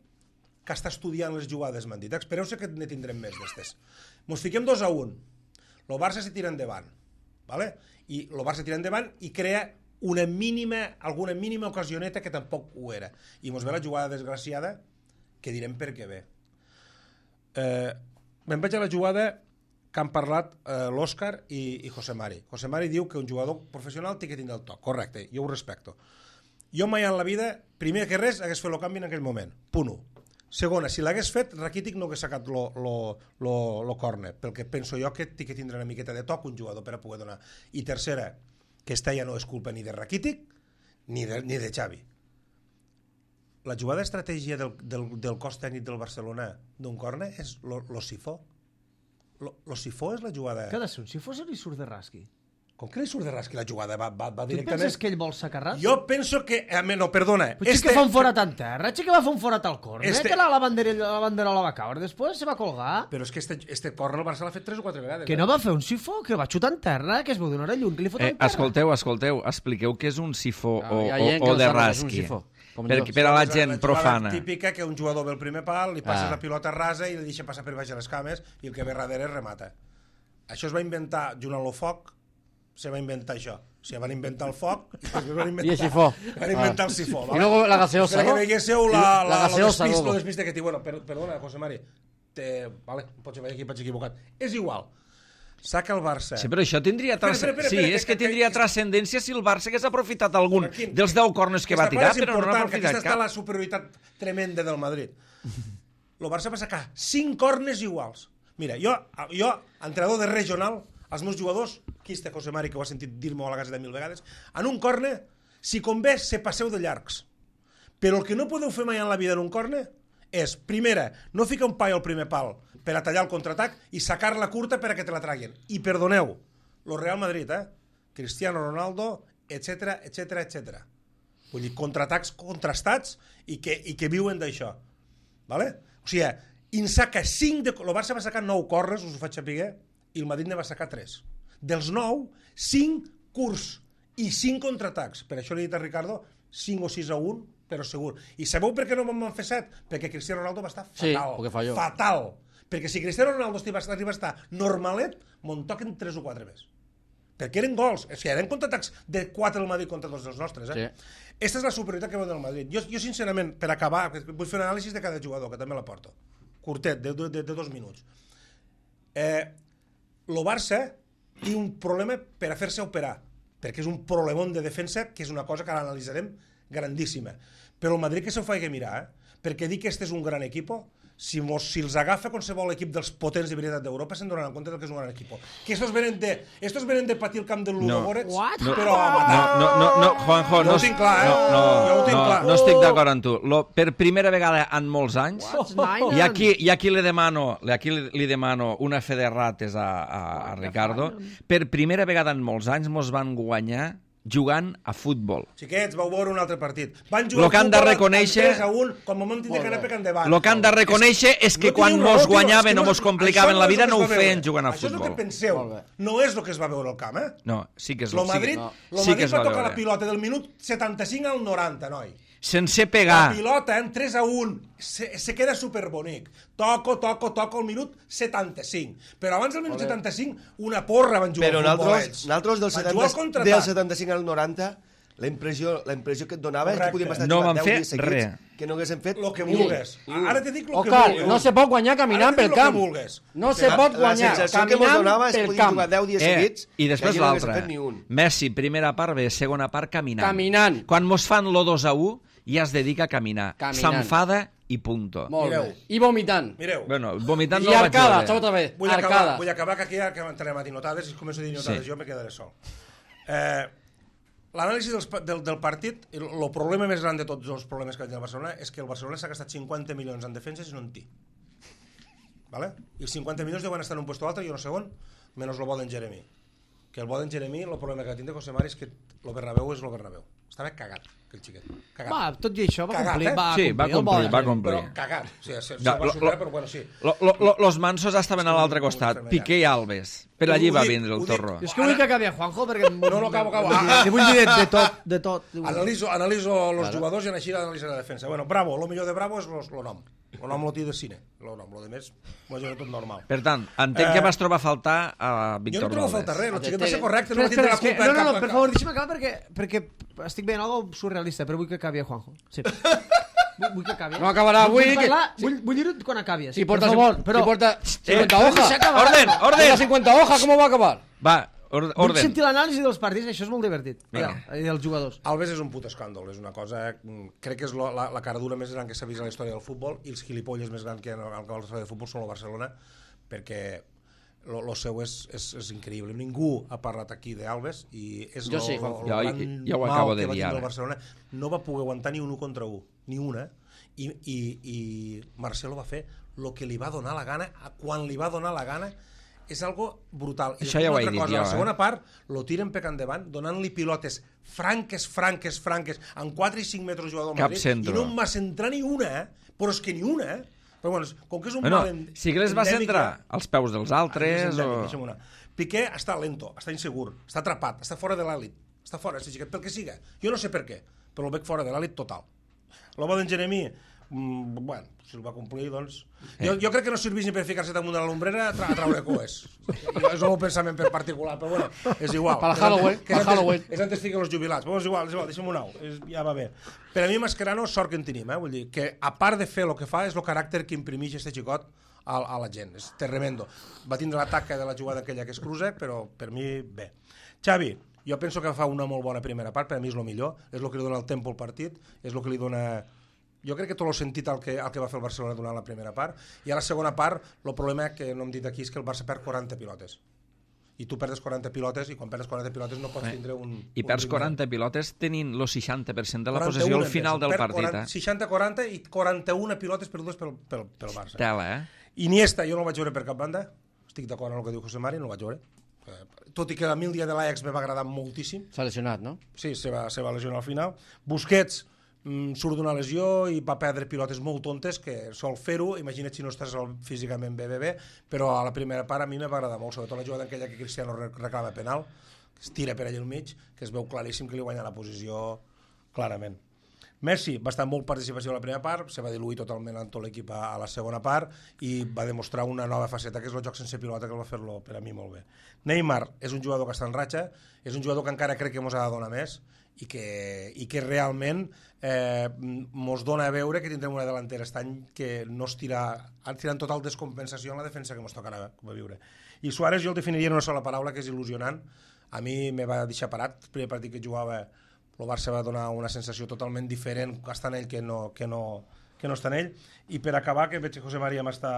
que està estudiant les jugades, m'han dit. Espereu-se que ne tindrem més d'estes. Mos fiquem 2-1. El Barça se tira endavant. ¿Vale? I el Barça tira endavant i crea alguna mínima ocasioneta que tampoc ho era. I mos ve la jugada desgraciada que direm per què ve. Me'n vaig a la jugada que han parlat l'Òscar i José Mari. José Mari diu que un jugador professional té que tindre el toc. Correcte, jo ho respecto. Jo mai en la vida, primer que res, hagués fet el canvi en aquell moment. Punt 1. Segona, si l'hagués fet, Rakitic no hagués sacat lo córner, perquè penso jo que té que tindre una miqueta de toc un jugador per a poder donar. I tercera, que esta ja no és culpa ni de Rakitic ni de Xavi. La jugada d'estratègia del cos tècnic del Barcelona d'un córner és lo sifó. Lo sifó és la jugada... Què ha de ser un sifó si li surt de rasqui? Com que li surt de rasqui la jugada? Va tu directament... penses que ell vol sacar rasqui? Jo penso que... No, perdona. Potser que fa un forat en terra, que va fer un forat al córner, que la banderola va caure, després se va colgar. Però és que este córner el Barça l'ha fet 3 o 4 vegades. Que no va fer un sifó, que va xutar en terra, que es veu d'una hora lluny, que li fot en terra. Escolteu, expliqueu què és un sifó o de rasqui. Per a la gent profana. La típica que un jugador ve al primer pal, li passes la pilota rasa i li deixa passar per baix de les cames i el que ve darrere remata. Això es va inventar junt amb el foc, se va inventar això. O sigui, van inventar el foc i van inventar el sifó. I luego la gaseosa, no? Per que veiéssiu lo despiste que té. Bueno, perdona, José Mari, vale, pots haver aquí, vaig equivocat. És igual. Saca el Barça. Sí, però això tindria tindria transcendència si el Barça hagués aprofitat algun dels 10 corners que va tirar, però no n'ha aprofitat cap. Aquesta està la superioritat tremenda del Madrid. El Barça va sacar 5 corners iguals. Mira, jo, entrenador de regional, els meus jugadors, aquí està José Mari, que ho ha sentit dir-me a la Gaseta 1000 vegades, en un córner, si convé, se passeu de llargs. Però el que no podeu fer mai en la vida en un córner és, primera, no ficar un paio al primer pal per a tallar el contraatac i sacar-la curta per a que te la traguin. I perdoneu, lo Real Madrid, Cristiano Ronaldo, etc. Vull dir, contraatacs contrastats i que viuen d'això. Vale? O sigui, en saca 5 el Barça va sacar 9 corners, us ho faig saber, i el Madrid ne va sacar 3. Dels 9, 5 curts i 5 contraatacs. Per això li he dit a Ricardo 5 o 6-1, però segur. I sabeu per què no me'n van fer 7? Perquè Cristiano Ronaldo va estar fatal. Sí, fatal. Perquè si Cristiano Ronaldo arriba a estar normalet, me'n toquen 3 o 4 més. Perquè eren gols. O sigui, eren contraatacs de 4 del Madrid contra 2 dels nostres. Sí. Esta és la superioritat que veu del Madrid. Jo, sincerament, per acabar, vull fer un anàlisi de cada jugador, que també la porto. Curtet, de 2 minuts. El Barça té un problema per a fer-se operar, perquè és un problemón de defensa, que és una cosa que ara analitzarem grandíssima. Però el Madrid que se'l faci mirar, perquè dir que este és un gran equip, si els agafa qualsevol equip dels potents de veritat d'Europa, se'n donaran compte que és un gran equip. Que estos venen de patir el camp del Ludogorets, però a matar. No, Juanjo, no ho tinc clar, no estic d'acord amb tu. Per primera vegada en molts anys, i aquí li demano una fe de rates a Ricardo, per primera vegada en molts anys mos van guanyar jugant a futbol. Xiquets, vau veure un altre partit. Van jugar a futbol 3-1, com a moment tindre que anar pecant endavant. El que han de reconèixer és que quan mos guanyaven o mos complicaven la vida no ho feien jugant a futbol. Això és el que penseu. No és el que es va veure al camp, No, sí que és el Madrid va tocar la pilota del minut 75 al 90, noi. Sense pegar. La pilota en 3-1 se queda superbonic. Toco al minut 75. Però abans del minut 75 una porra van jugar al futbol ells. Però nosaltres del 75 al 90 la impressió que et donava és que podíem estar jugant 10 dies seguits, que no haguéssim fet lo que vulgues. Ara te dic lo que vulgues. No se pot guanyar caminant pel camp. No se pot guanyar caminant pel camp. Jugar 10 dies seguits i després l'altre. Messi, primera part, bé, segona part, caminant. Quan mos fan lo 2-1 i es dedica a caminar. Caminant. S'enfada i punto. Molt Mireu. bé. I vomitant. Mireu, Bueno, vomitant I no el vaig arcada, veure. tota bé. vull Arcada. acabar, que aquí ja que entrarem a dir notades, i si començo a dir notades Sí. jo me quedaré sol. L'anàlisi del partit, el problema més gran de tots els problemes que ha tingut el Barcelona és que el Barcelona s'ha gastat 50 milions en defenses i no en té. ¿Vale? I els 50 milions deuen estar en un puesto altre, jo no sé on, menys el bo d'en Jeremy. Que el bo d'en Jeremy, el problema que tindre José Mari és que el Bernabéu és el Bernabéu. Estava cagat, aquell xiquet. Cagat. Va, tot i això va Cagat, complir. eh? Sí, va complir, va complir. Però cagat. O sigui, se Ja, va superar, però bueno, sí. Los mansos estaven a l'altre costat, Piqué i Alves. Per allí va vindre el torro. Jo és que vull que acabi a Juanjo perquè... No, acabo. Li vull dir de tot. Analizo els jugadors i així analitzo la defensa. Bueno, Bravo, el millor de Bravo és el nom. El nom lo té de cine. El nom, el de més, ho és tot normal. Per tant, entenc que vas trobar a faltar a Jo Víctor no trobo a Valdés. faltar res, el xiquet va ser correcte, no va Espera, tindre la és que, culpa. no, per favor, deixa'm acabar perquè estic veient algo surrealista, però vull que acabi a Juanjo. Sí. Vull que acabi. No acabarà avui, Vull, que- parlar, vull dir-ho quan acabi. Si porta, per favor, però... si porta 50 hojas. deixa acabar. Orden, Porta orden! 50 hojas, ¿cómo va a acabar? Va, Vull orden. sentir l'anàlisi dels partits, això és molt divertit. Vinga. I dels jugadors. Alves és un puto escàndol, és una cosa... Crec que és la caradura més gran que s'ha vist a la història del futbol i els gilipolles més grans que hi ha a la història del futbol són el Barcelona, perquè lo seu és increïble. Ningú ha parlat aquí d'Alves i és Jo sí, Juanjo. Jo ho acabo de dir ara. El Barcelona no va poder aguantar ni un 1 contra 1, ni una, i Marcelo va fer el que li va donar la gana, quan li va donar la gana, és algo brutal. I Això ja ho he una altra dit cosa, jo, la segona part lo tiren per endavant, donant-li pilotes franques, en 4 i 5 metres jugador Cap Madrid, centro. i no em va centrar ni una, però és que ni una, però bueno, com que és un Bueno, mal sí que les va endèmic, centrar als peus dels altres o... Piqué està lento, està insegur, està atrapat, està fora de l'elit, està fora, pel que siga. Jo no sé per què, però el veig fora de l'elit total. L'home d'en Jeremy, bueno, si el va complir, doncs... Jo crec que no serveix ni per ficar-se damunt de la lumbrera a traure coes. És el meu pensament per particular, però bueno, és igual. Per Halloween. És antes fiquen els jubilats. Però és igual, deixem-ho anar. Ja va bé. Per a mi, Mascherano, sort que en tenim, vull dir, que a part de fer el que fa, és el caràcter que imprimeix este xicot a la gent. És tremendo. Va tindre l'atac de la jugada aquella que es cruza, però per mi, bé. Xavi, jo penso que fa una molt bona primera part, per a mi és el millor, és el que li dona el tempo al partit, és el que li dona... Jo crec que tot el sentit el que va fer el Barcelona durant la primera part, i a la segona part el problema que no hem dit aquí és que el Barça perd 40 pilotes. I tu perdes 40 pilotes, i quan perdes 40 pilotes no pots tindre un... I perds 40 pilotes tenint el 60% de la possessió al final del partit. 60-40 i 41 pilotes perdudes pel Barça. Tela, Iniesta jo no el vaig veure per cap banda, estic d'acord amb el que diu José Mari, no el vaig veure. Tot i que a mi el dia de l'Ajax me va agradar moltíssim. S'ha lesionat, no? Sí, se va lesionar al final. Busquets surt d'una lesió i va perdre pilotes molt tontes que sol fer-ho, imagina't si no estàs físicament bé, però a la primera part a mi me va agradar molt, sobretot la jugada aquella que Cristiano reclama penal, que es tira per allà al mig, que es veu claríssim que li guanya la posició clarament. Messi va estar molt participació a la primera part, se va diluir totalment en tot l'equip a la segona part i va demostrar una nova faceta, que és el joc sense pilota, que el va fer-lo per a mi molt bé. Neymar és un jugador que està en ratxa, és un jugador que encara crec que ens ha de donar més i que realment ens dona a veure que tindrem una delantera aquest any que no es tira en total descompensació en la defensa que ens tocarà viure. I Suárez jo el definiria en una sola paraula, que és il·lusionant. A mi me va deixar parat, el primer partit que jugava el Barça va donar una sensació totalment diferent estant ell que no està en ell. I per acabar, que veig que José María m'està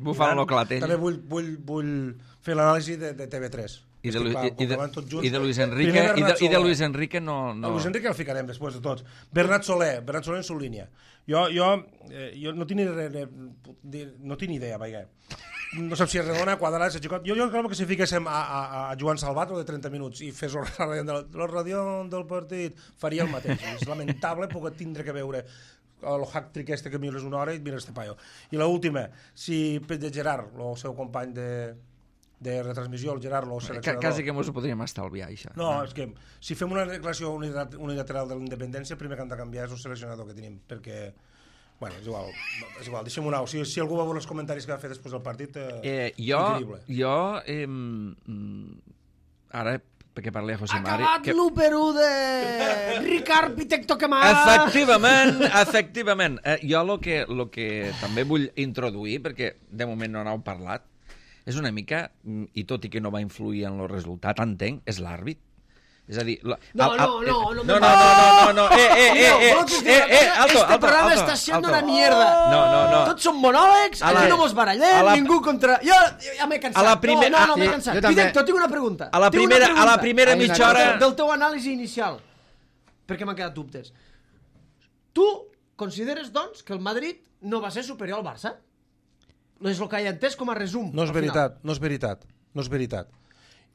bufant-lo clatell. també vull fer l'anàlisi de TV3 i de Luis Enrique i de Luis Enrique no... Luis Enrique el ficarem després de tots. Bernat Soler en su línia. Jo no tinc idea, vaja. No sé si és redona, quadrada, jo crec que si fiquéssim a Joan Salvat de 30 minuts i fes el radió del partit, faria el mateix. És lamentable poder tindre que veure el hack-trick este que mires una hora i mires este paio. I l'última, si de Gerard, el seu company de retransmissió, el Gerard, el seleccionador... Quasi que ens ho podríem estalviar, això. No, és que si fem una declaració unilateral de la independència, el primer que han de canviar és el seleccionador que tenim, perquè... Bueno, és igual, deixem-ho anar. Si algú va veure els comentaris que va fer després del partit, increïble. Jo, ara, perquè parli a José Mari... Acabat l'1-1 de Ricard Pitecto Kemal! Efectivament. Jo el que també vull introduir, perquè de moment no n'heu parlat, és una mica, i tot i que no va influir en el resultat, entenc, és l'àrbit. És a dir... No. Este programa està siendo una mierda. No. Tots són monòlegs, aquí no mos barallem, ningú contra... Jo ja m'he cansat. No, m'he cansat. Directo, tinc una pregunta. A la primera mitja hora... Del teu anàlisi inicial, perquè m'han quedat dubtes. Tu consideres, doncs, que el Madrid no va ser superior al Barça? No és el que he entès com a resum. No és veritat.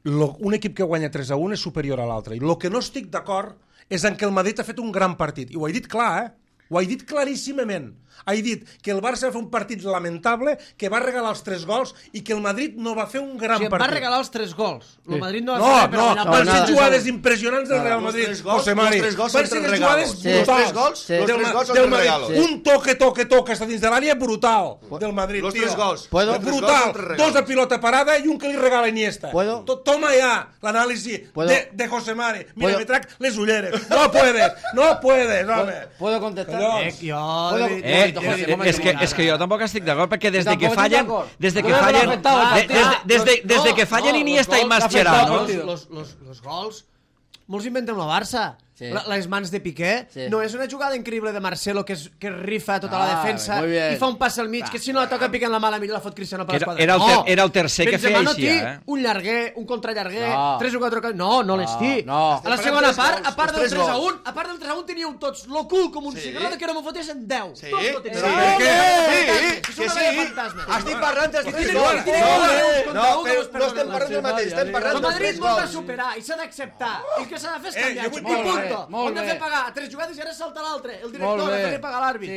Un equip que guanya 3-1 és superior a l'altre. I el que no estic d'acord és en que el Madrid ha fet un gran partit. I ho he dit clar, Ho he dit claríssimament. He dit que el Barça va fer un partit lamentable, que va regalar els 3 gols i que el Madrid no va fer un gran partit. Va regalar els 3 gols. El Madrid no va fer per guanyar. Van ser jugades impressionants del Real Madrid. José Mari. Van ser jugades brutals. Los 3 gols són 3 regalos. Un toque està dins de l'àrea brutal del Madrid. Los 3 gols. Brutal. 2 de pilota parada i un que li regala Iniesta. Toma ya l'anàlisi de José Mari. Mira, me trac les ulleres. No puedes, home. ¿Puedo contestar? És que jo tampoc estic d'acord perquè des de que fallen Iniesta i Mascherano los gols molts inventem el Barça. Les mans de Piqué no és una jugada increïble de Marcelo que rifa tota la defensa i fa un pas al mig que si no la toca Piqué en la mà la fa el Cristiano per l'esquadra. Era el tercer que feia així, un llarguer, un contrallarguer, 3 o 4 no les té. A la segona part, a part del 3-1 teníeu tots lo cul com un cigró que no m'ho fotessin 10. Que sí, estic parlant dels 3 gols. No estem parlant del mateix, estem parlant del Madrid vol de superar i s'ha d'acceptar. I el que s'ha de fer és canviar. Punto. Hem de fer pagar 3 jugades i ara salta l'altre. El director ha de fer pagar l'àrbit.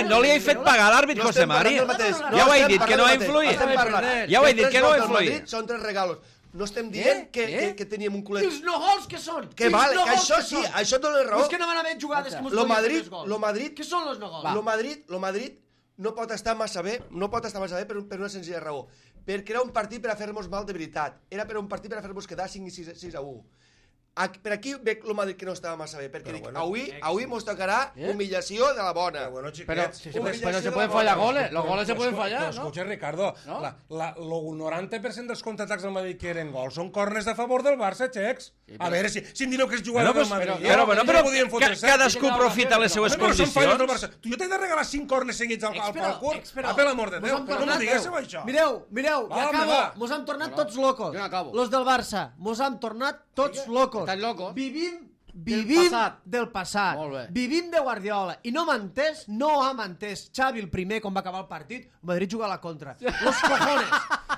No li he fet pagar l'àrbit, José Mari. Ja ho he dit, que no ha influït. Ja ho he dit, que no ha influït. Són 3 regalos. No estem dient que teníem un culet... Els no gols que són? Que vale, que això sí, això dona raó. És que no van haver jugades que mos podien fer més gols. Què són els no gols? Lo Madrid no pot estar massa bé per una senzilla raó. Perquè era un partit per a fer-nos mal de veritat. Era per un partit per a fer-nos quedar 5 i 6-1. Per aquí veig el Madrid que no estava massa bé, perquè avui mos tocarà humillació de la bona. Pero se pueden fallar goles, los goles se pueden fallar, ¿no? Escucha, Ricardo, el 90% dels contraatacs del Madrid que eren gols són corners a favor del Barça, xecs. A veure, si em direu que és jugador del Madrid... Però cadascú aprofita les seues condicions. Tu jo t'he de regalar 5 corners seguits al curt? Per l'amor de Déu, no m'ho diguéssiu, això. Mireu, ja acabo. Mos han tornat tots locos. Los del Barça. Mos han tornat tots locos. Estan locos. Vivim del passat. Vivim de Guardiola. I no ha entès Xavi el primer quan va acabar el partit, Madrid juga a la contra. Los cojones.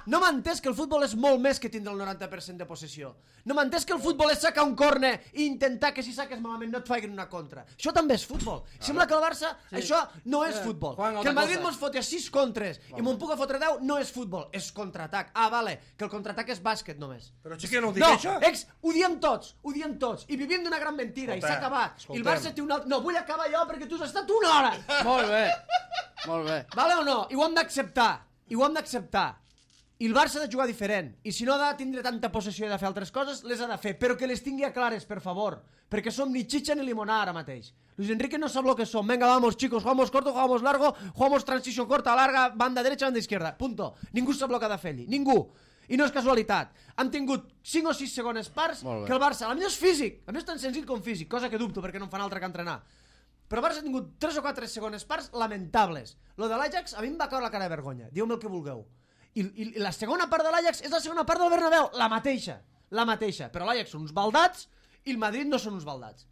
No m'ha entès que el futbol és molt més que tindre el 90% de possessió. No m'ha entès que el futbol és sacar un córner i intentar que si saques malament no et facin una contra. Això també és futbol. Sembla que el Barça això no és futbol. Que el Madrid mos foti a 6 contres i me'n puc a fotre 10 no és futbol, és contraatac. Vale, que el contraatac és bàsquet només. Però xique, no ho dic això? No, ho diem tots. I vivim d'una gran mentira i s'ha acabat. I el Barça té una... No, vull acabar jo perquè tu has estat una hora. Molt bé. Vale o no? I ho hem d'acceptar. I el Barça ha de jugar diferent. I si no ha de tindre tanta possessió i de fer altres coses, les ha de fer. Però que les tingui clares, per favor. Perquè som ni chicha ni limonada ara mateix. Luis Enrique no sap lo que som. Venga, vamos, chicos, jugamos corto, jugamos largo, jugamos transició corta, larga, banda derecha, banda izquierda. Punto. Ningú sap lo que ha de fer allí. Ningú. I no és casualitat. Han tingut 5 o 6 segones parts que el Barça, a mi és físic, a mi és tan senzill com físic, cosa que dubto perquè no en fan altra que entrenar. Però el Barça ha tingut 3 o 4 segones parts lamentables. Lo de l'Ajax a mi em va caure la cara de vergonya. Dieu-me el que vulgueu. I la segona part de l'Ajax és la segona part del Bernabéu, la mateixa. Però l'Ajax són uns baldats i el Madrid no són uns baldats.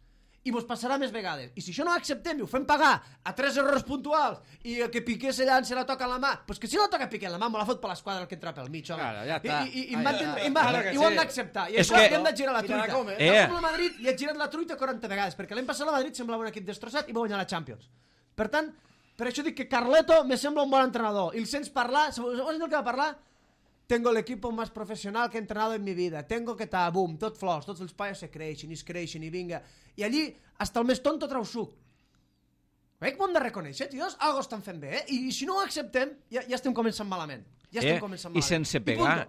I mos passarà més vegades. I si això no ho acceptem i ho fem pagar a 3 errors puntuals i que Piqué se llança la toca a la mà, doncs que si no la toca Piqué a la mà me la fot per l'esquadra el que entra pel mig, home. I ho hem d'acceptar. I això hem de girar la truita. Com el Madrid li ha girat la truita 40 vegades, perquè l'any passat el Madrid semblava un equip destrossat i va guanyar la Champions. Per tant, per això dic que Carleto me sembla un bon entrenador. I el sents parlar, sabeu el que va parlar? Tengo el equipo más profesional que he entrenado en mi vida. Tengo que tal, boom, tot flors, tots els paios se creixen i vinga. I allí, hasta el més tonto trau suc. Veig que hem de reconèixer, tios, algo estan fent bé, I si no ho acceptem, ja estem començant malament. I sense pegar?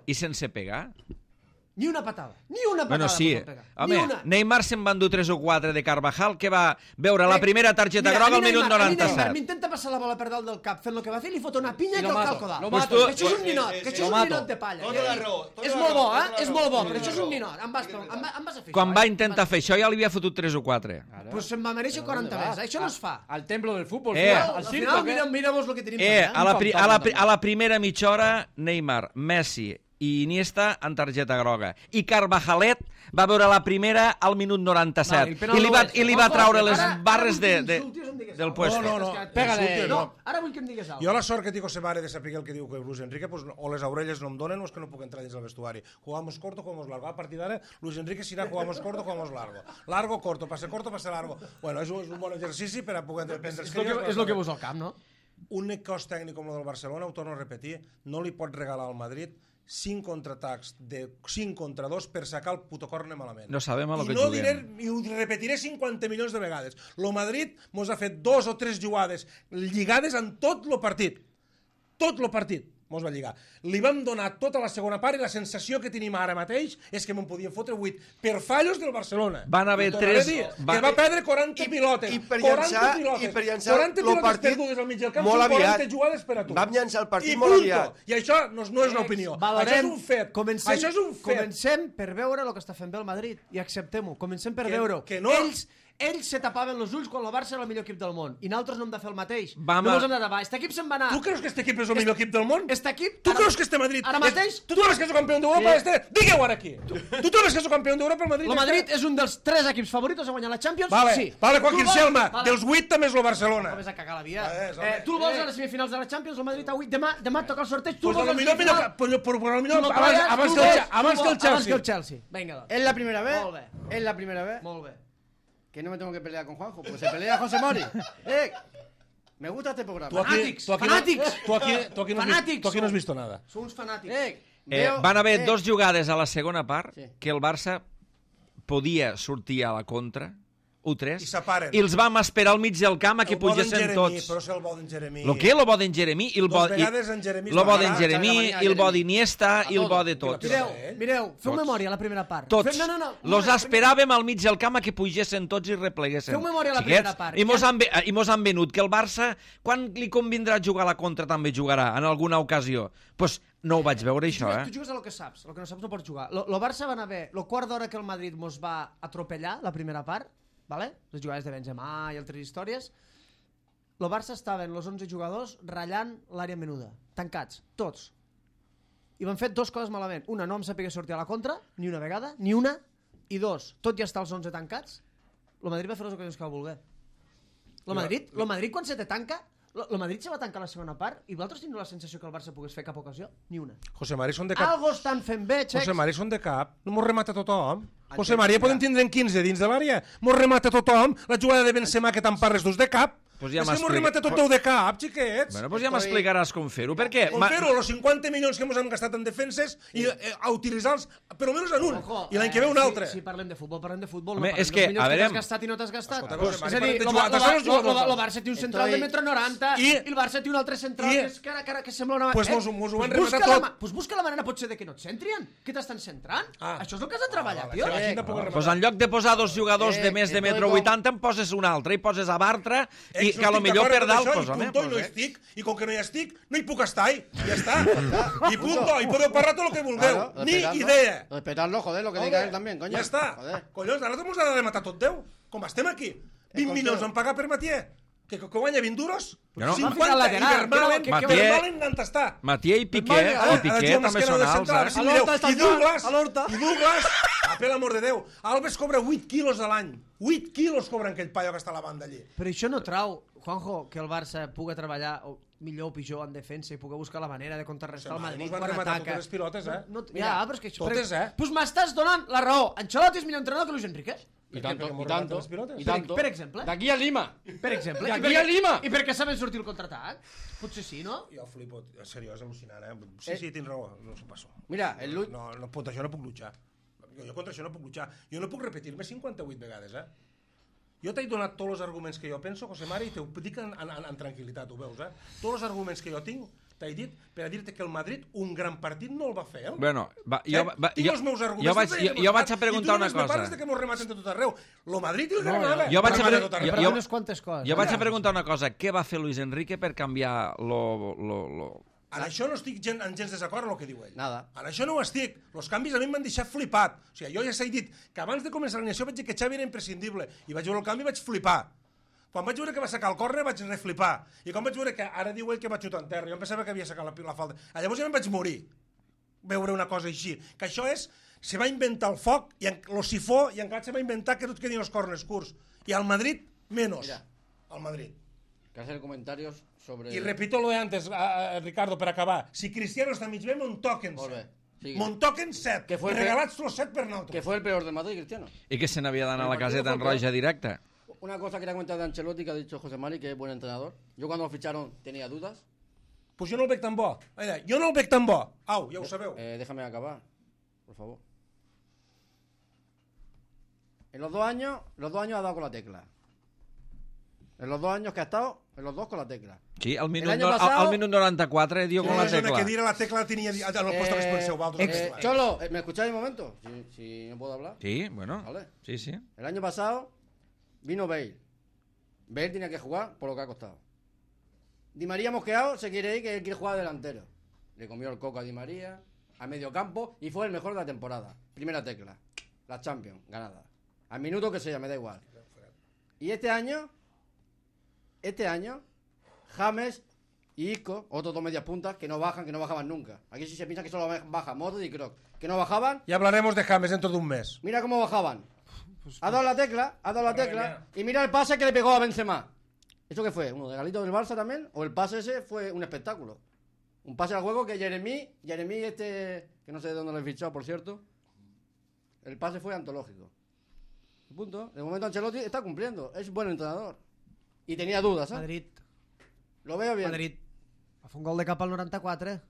Ni una patada. Ni una patada. Bueno, sí. pot pegar. Home, Ni una. Neymar se'n van dur 3 o 4 de Carvajal, que va veure la primera targeta Mira, groga a al mi minut Neymar, a mi 97. Neymar m'intenta passar la bola per dalt del cap fent el que va fer i li fot una pinya I que lo el mato, calco dalt. lo Pues mato. tu- Això és un ninot, que això és un Lo mato. ninot de palla. Tota la raó, tota És la molt raó, bo, tota la és raó. molt bo, Tota però la això és un raó. ninot. Em vas a fer Quan això, va intentar fer això ja li havia fotut 3 o 4. Pues se'n va mereixer 40 més. Això no es fa. Al templo del fútbol. Al al Al circo. final, miramos lo que tenim A la primera mitja hora, Neymar, Messi i Iniesta en targeta groga. I Carvajalet va veure la primera al minut 97. I li va traure les barres del puesto. No. Pégale. No, ara vull que em digues Jo alguna la sort que té José Mare de saber el que diu que Luis Enrique, pues, o les orelles no em donen o és que no puc entrar dins del vestuari. Jugamos corto, jugamos largo. A partir d'ara, Luis Enrique serà jugamos corto, jugamos largo. Largo, corto, pase largo. Bueno, és un bon exercici per a poder prendre els crios. És el que veus al camp, no? Un cos tècnic com el del Barcelona, ho torno a repetir, no li pot regalar al Madrid 5 contraatacs de 5 contra 2 per sacar el puto córner malament. No sabem a lo que no juguem. I ho repetiré 50 milions de vegades. Lo Madrid mos ha fet 2 o 3 jugades lligades en tot lo partit. Tot lo partit mos va lligar. Li vam donar tota la segona part i la sensació que tenim ara mateix és que me'n podien fotre 8 per fallos del Barcelona. Van haver Ho tornaré a 3 dir, que va perdre 40 pilotes. I per llançar 40 el pilotes partit perdudes al mig del camp molt són aviat. 40 jugades per a tu. Vam llançar el partit I molt punto. aviat. I això no és una opinió. Valorem, això és un fet. Això és un fet. Comencem per veure el que està fent bé el Madrid i acceptem-ho. Comencem per Que- veure-ho. que no. Ells se tapaven els ulls quan el Barça era el millor equip del món i nosaltres no hem de fer el mateix. Vam no a- mos hem de tapar. Este equip se'n va anar. Tu creus que este equip és el millor equip del món? Este equip... Tu ara- creus que este Madrid... Ara mateix... Tu creus que és el campió d'Europa? Sí. Este? Digueu ara aquí. Tu creus que és el campió d'Europa el Madrid? El Madrid és un dels 3 equips favorits a guanyar la Champions? Vale, sí. vale, Joaquín Tu vols- Selma. Vale. Dels 8 també és el Barcelona. No vés a cagar la via. Home. Tu el vols a les semifinals de la Champions? El Madrid a 8. Demà toca el sorteig. Tu Pues el vols a lo millor, Tu lo trolles, abans tu que el vols- Chelsea. Abans que el Chelsea. Vinga, doncs. Es la primera vez. Molt bé. Es la primera vez Molt bé. que no me tengo que pelear con Juanjo, pues se pelea José Mori. Me gusta este programa. Tú aquí no has visto nada. Són uns fanàtics. Van haver 2 jugades a la segona part Sí. que el Barça podia sortir a la contra, 1-3, I s'aparen. i els vam esperar al mig del camp a que El bo d'en pugessin Jeremí, tots. però és el bo d'en Jeremí. Lo que? Lo bo d'en Jeremí, i el bo, Dos vegades en Jeremí es lo bo va d'en parar, Jeremí, Xavi i el bo Jeremí. d'Iniesta, i el bo de tots. Mireu, feu Tots. memòria a la primera part. Tots. No. Los esperàvem al mig del camp a que pugessin tots i repleguessin. Feu memòria a la Xiquets, primera part. I mos han venut que el Barça, quan li convindrà jugar a la contra, també jugarà, en alguna ocasió. Pues no ho vaig veure, això, Tu jugues a lo que saps. El que no saps no pots jugar. Lo Barça van haver... Lo quart d'hora que el Madrid mos va atropellar, la primera part, vale? Les jugades de Benzema i altres històries, el Barça estaven els 11 jugadors ratllant l'àrea menuda, tancats, tots. I van fer 2 coses malament. Una, no em sapigué sortir a la contra, ni una vegada, ni una, i 2, tot ja està els 11 tancats, el Madrid va fer les ocasions que va voler. El Madrid quan se te tanca, el Madrid se va tancar la segona part i vosaltres teniu la sensació que el Barça pogués fer cap ocasió? Ni una. José Mari són de cap. Algo estan fent bé, xecs. José Mari són de cap. No mos remata tothom. José Mari, ja podem tindre en 15 dins de l'àrea. Mos remata tothom. La jugada de Benzema que te'n parles dus de cap. Pues ja és que mos m'explica- remata tot de cap, xiquets. Bueno, pues ja m'explicaràs com fer-ho. Per què? Com fer-ho, los 50 milions que ens hem gastat en defenses i a utilitzar-los, per almenys en un, Ojo, i l'any que ve un altre. Si parlem de futbol, parlem de futbol. Home, no parlem és que, dels milions a veure, t'has gastat i no t'has gastat. Escolta, Pues, José Mari, és a dir, parem de jugar, deixa'ns jugar el Barça té un central de metro 90 i el Barça té un altre central I- que és que sembla una... Pues mos ho van busca rematar tot. Pues busca la manera potser de que no et centrien. Què t'estan centrant? Ah. Això és el que has de treballar, vale, tio. que la gent pugui Pues en lloc de posar 2 jugadors de més de estoy metro con- 80 en poses un altre i poses a Bartra i Ex, que a lo estic millor d'acord per amb dalt, això, pues, i home, punto, i no hi pues, estic, i com que no hi estic, no hi puc estar, i ja està. I punto, i podeu parlar tot el que vulgueu. Claro, Ni respetarlo. idea. Respetarlo, joder, lo que Joder, diga él también, coño. Ja està. Joder. Collons, ara t'hemos de rematar tot 10. Com estem aquí? 20 milions van pagar per Matier? Que guanya 20 duros? No, no. 50, Va ficar i lateral, Vermalen, que- Vermalen on està? Matier i Piqué, Ara també són alts, eh? I Douglas, per l'amor de Déu, Alves cobra 8 quilos a l'any. 8 quilos cobra aquell paio que està a la banda allí. Però això no trau, Juanjo, que el Barça pugui treballar millor o pitjor en defensa i pugui buscar la manera de contrarrestar el Madrid Mos van quan rematar ataca. totes les pilotes, eh? Ja, però és que això... Totes, eh? Pues m'estàs donant la raó. Ancelotti és millor entrenador que Luis Enrique. Y tanto, Porque y tanto, hemos remate las y pilotas. tanto. Per exemple. De aquí a Lima. Per exemple. De aquí a Lima. I perquè saben sortir el contraatac. Potser sí, no? Jo flipo, en sèrio, és al·lucinant, eh? Sí, tens raó, no s'ho passo. Mira, el Luis... No, contra això no puc luchar. Jo contra això no puc luchar. Jo no puc repetir-me 58 vegades, eh? Jo t'he donat tots els arguments que jo penso, José Mari, i t'ho dic en tranquil·litat, ho veus, eh? Tots els arguments que jo tinc, t'he dit per a dir-te que el Madrid un gran partit no el va fer. Bueno, tinc els meus arguments. Jo vaig a preguntar una cosa. I tu només me parles de que mos rematen de tot arreu. Lo Madrid i el Granada. Jo vaig a preguntar una cosa. Què va fer Luis Enrique per canviar En això no estic gens desacord amb el que diu ell. Nada. En això no ho estic. Els canvis a mi m'han deixat flipat. O sigui, jo ja s'he dit que abans de començar l'animació vaig dir que Xavi era imprescindible i vaig veure el canvi i vaig flipar. Quan vaig veure que va sacar el córner vaig reflipar. I quan vaig veure que ara diu ell que va xutar en terra, jo em pensava que havia sacat la falta. Llavors ja em vaig morir veure una cosa així. Que això és... Se va inventar el foc, i el sifó, i encara se va inventar que tots quedin els corners curts. I al Madrid, menos. Mira. Al Madrid. Que hacer comentarios sobre... Y repito lo de antes, Ricardo, per acabar. Si Cristiano està mig bé, mon toquen 7. Mon toquen 7. Que fue regalats los 7 per nosaltres. Que fue el peor del Madrid, Cristiano. I que se n'havia d'anar a la caseta en roja directa. Una cosa quería comentar de Ancelotti que ha dicho José Mari, que es buen entrenador. Yo cuando lo ficharon tenía dudas. Pues jo no el veig tan bo. Jo no el veig tan bo. Au, ja ho sabeu. Déjame acabar, por favor. En los 2 años ha dado con la tecla. En los 2 años que ha estado, en los 2 con la tecla. Sí, al minut 94 dio con la tecla. tecla. Que dir la tecla tenia al puesto que es penseu. Cholo, ¿me escucháis un momento? Si no puedo hablar. Sí, bueno. Vale. Sí, sí. El año pasado vino Bale. Bale tenía que jugar por lo que ha costado. Di María mosqueado se quiere ir, que él quiere jugar delantero. Le comió el coco a Di María, a medio campo, y fue el mejor de la temporada. Primera tecla. La Champions, ganada. Al minuto que sea, me da igual. Y este año, James y Isco, otros 2 medias puntas, que no bajaban nunca. Aquí sí se piensa que solo baja Modric y Kroos, que no bajaban. Ya hablaremos de James dentro de un mes. Mira cómo bajaban. Ha dado la tecla, y mira el pase que le pegó a Benzema. ¿Eso qué fue? ¿Uno de Galito del Barça también? ¿O el pase ese fue un espectáculo? Un pase al juego que Jeremy que no sé de dónde lo he fichado, por cierto, el pase fue antológico. Punto. De momento Ancelotti está cumpliendo, es buen entrenador. Y tenía dudas, ¿eh? Madrid. Lo veo bien. Madrid. Va fer un gol de cap al 94,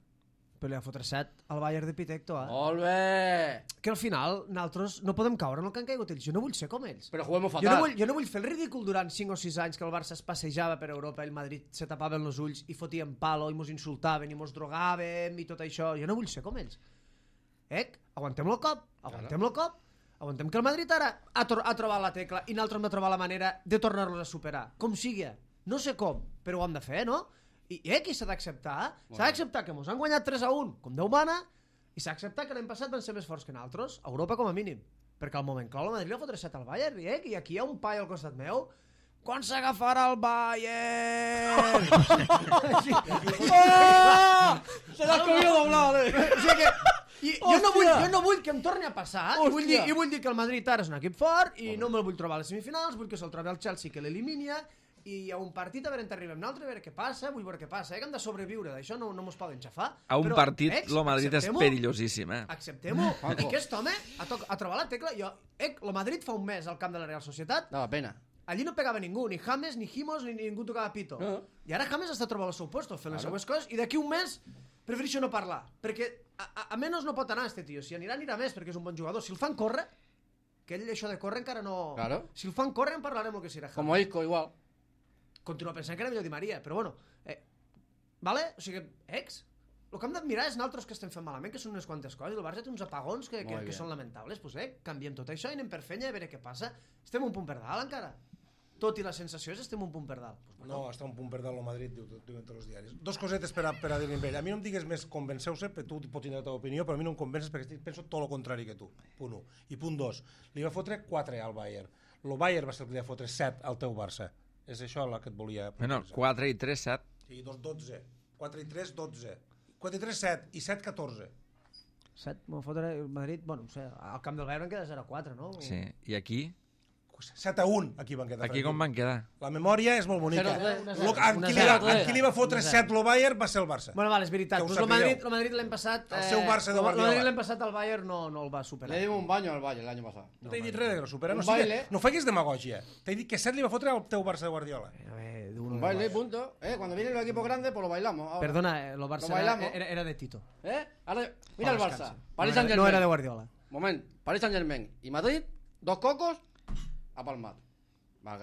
però li va fotre 7 al Bayern de Pitecto, eh? Molt bé! Que al final nosaltres no podem caure en el que han caigut ells. Jo no vull ser com ells. Però juguem fatal. Jo no vull fer el ridícul durant 5 o 6 anys que el Barça es passejava per Europa i el Madrid se tapaven els ulls i fotien palo i mos insultaven i mos drogàvem i tot això. Jo no vull ser com ells. Aguantem el cop. Aguantem que el Madrid ara ha trobat la tecla i nosaltres hem de trobar la manera de tornar-los a superar. Com sigui. No sé com, però ho hem de fer, no? I aquí s'ha d'acceptar. S'ha d'acceptar que mos han guanyat 3-1, com Déu mana, i s'ha d'acceptar que l'any passat van ser més forts que nosaltres, a Europa com a mínim. Perquè al moment clau el Madrid li va fotre 7 al Bayern, i aquí hi ha un pai al costat meu. Quan s'agafarà el Bayern? Se l'ha comido doblado, O sigui que jo no vull que em torni a passar i vull dir que el Madrid ara és un equip fort i no me'l vull trobar a les semifinals, vull que se'l trobi al Chelsea que l'elimina i hi ha un partit a veure on arribem nosaltres, a veure què passa, vull veure què passa, que hem de sobreviure, d'això no mos poden xafar. A un partit el Madrid és perillosíssim, Acceptem-ho, i aquest home ha trobat la tecla, el Madrid fa un mes al camp de la Real Societat, dava pena. Allí no pegava ningú, ni James, ni Jimos, ni ningú tocava pito. I ara James està trobant el seu puesto, fent les seues coses, i d'aquí un mes prefereixo no parlar, perquè a menys no pot anar este tio, si anirà més, perquè és un bon jugador. Si el fan córrer, que ell això de córrer encara no... Claro. Si el fan córrer en parlarem el que serà James. Como Isco, igual. Continuo pensant que era millor Di Maria, però bueno. Vale? O sigui, el que hem d'admirar és nosaltres que estem fent malament, que són unes quantes coses, i el Barça té uns apagons que són lamentables. Pues canviem tot això i anem per fenya a veure què passa. Estem un punt per dalt encara. Tot i la sensació és estem un punt per dalt. No, està un punt per dalt el Madrid, diuen tots els diaris. 2 cosetes per a dir-li amb ell. A mi no em digues més convenceu-se, perquè tu pots tenir la teva opinió, però a mi no em convences perquè penso tot el contrari que tu. Punt 1. I punt 2. Li va fotre 4 al Bayern. El Bayern va ser el que li va fotre 7 al teu Barça. És això el que et volia... Bueno, 4 i 3, 7. Sí, 12. 4 i 3, 12. 4 i 3, 7. I 7, 14. 7, m'ho fotre el Madrid... Bueno, no sé, al camp del Bayern queda 0-4, no? Sí, i aquí... 7-1, aquí van quedar. Aquí com van quedar? La memòria és molt bonica. En qui li va fotre 7 el Bayern va ser el Barça. Bueno, vale, és veritat. Pues el Madrid l'any passat... El seu Barça de Guardiola. El Madrid l'any passat el Bayern no el va superar. Le dimos un baño al Bayern l'any passat. No t'he dit res que no supera. No faigues demagògia. T'he dit que 7 li va fotre al teu Barça de Guardiola. Un baile, punto. Cuando vienen los equipos grandes, pues lo bailamos. Ahora. Perdona, el Barça era de Tito. Ahora, mira el Barça. Paris Saint-Germain. No era de Guardiola. Moment, Paris Saint-Germain y Madrid, 2 cocos a palmar.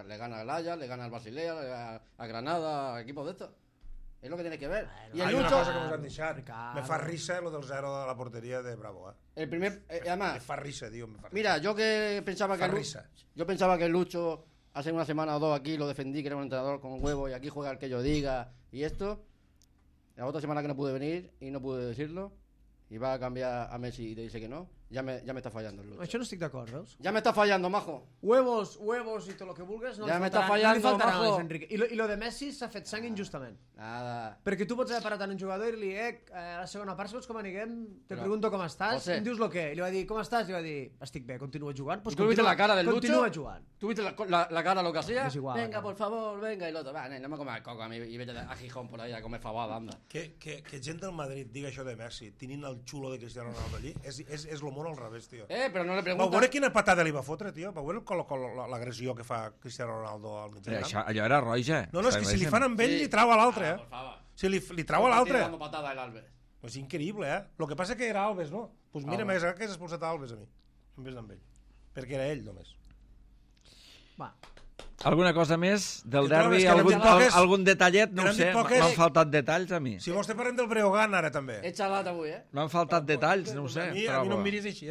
Le gana al Ajax, le gana al Basilea, a Granada, a equipos de estos. Es lo que tiene que ver. Y el Hay una Lucho, cosa que nos han deixat. Ricardo. Me fa risa lo del 0 de la portería de Bravo, el primer, Me además, fa risa, tío, me fa risa. mira, yo que pensaba que Farrisa. yo pensaba que el Lucho hace una semana o dos aquí lo defendí, que era un entrenador con huevo y aquí juega el que yo diga y esto. La otra semana que no pude venir y no pude decirlo y va a cambiar a Messi y te dice que no, ya me está fallando el Lucho. Això no estic d'acord, veus? Ya me está fallando, majo. Huevos y todo lo que vulgues no Ja li m'està faltaran, no li fallando, faltaran a majo. Luis Enrique. I lo de Messi s'ha fet sang injustament. Nada. Perquè tu pots haver parat en un jugador i dir-li, a la segona part, saps com anirem? Te Però, pregunto com estàs, José. em dius lo què? I li va dir, com estàs? I li va dir, estic bé, continua jugant. Pues ¿Y tú viste la cara del Lucho? Continua jugant. ¿Tú viste la cara lo que hacía? Es igual, venga, ¿no? por favor, venga. Y el otro, va, no me comas el coco a mí y vete a Gijón por ahí a comer fabada, anda. Que gent del Madrid diga això de Messi, tenint el xulo de Cristiano Ronaldo allí, és lo mono al revés, tio. Pero no le Vau preguntas. veure quina patada li va fotre, tio? Vau veure l'agressió que fa Cristiano Ronaldo al mig del camp? Allò era roja. No, és que si li fan amb ell, li trau a l'altre, Por favor. Si li trau a l'altre. Dando patada el Alves. És increïble, Lo que passa que era Alves, no? Doncs mira, m'hagués agradat que hagués expulsat a Alves a mi, en vez d'amb ell. Perquè era ell, només. Va. Alguna cosa més del Que trobes derbi? que n'hem dit poques? Algun detallet? No Que ho n'hem sé, dit poques? m'han faltat detalls a mi. Si vols te parlem del Breogán ara també. Echa lata avui, M'han faltat detalls, no ho sé. A mi no em miris així,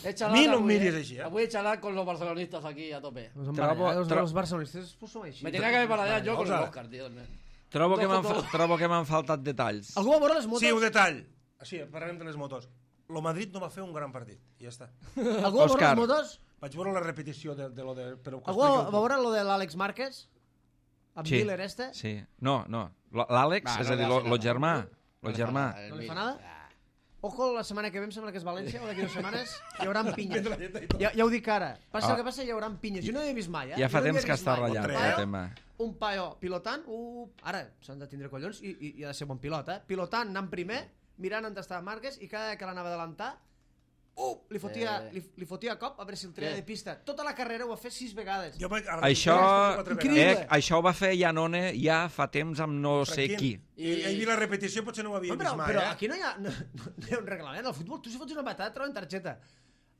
Echa A mi lata no em avui, miris així, Avui echa lata con los barcelonistas aquí a tope. Els barcelonistes pues som així. Me tenía que haber parado yo con el Vamos a ver. Oscar, tío. Trobo que m'han faltat detalls. Algú va veure les motos? Sí, un detall. Sí, parlarem de les motos. Lo Madrid no va fer un gran partit, i ja està. Algú va veure Òscar. les motos? Vaig veure la repetició de lo de... Però que Algú expliqui-ho va tu. veure lo de l'Àlex Márquez? Amb Sí, Miller este? sí. No. L'Àlex, Va, és no a dir, le hace lo nada. germà. No Lo le germà. fa nada, No li el fa Mil. nada? Ojo, la setmana que ve em sembla que és València, o d'aquí 2 setmanes, hi haurà pinyes. Vendre la lletra i tot. Ja ho dic ara. Passa Ah. el que passa, hi haurà pinyes. Jo no hi he vist mai, Ja fa Jo no hi temps he que vist està mai. ratllat Un el paio- tema. Un paio pilotant, ara s'han de tindre collons i ha de ser bon pilot, pilotant, anant primer, mirant on estava Márquez i cada que l'anava a adelantar, li fotia a cop a veure si el treia de pista. Tota la carrera ho va fer 6 vegades. Jo vaig... Això, Increïble. això ho va fer Janone ja fa temps amb no sé qui. I he vist la repetició, potser no ho havia No, vist mai, però aquí no hi ha un reglament. Al futbol, tu si fots una patada et treuen targeta.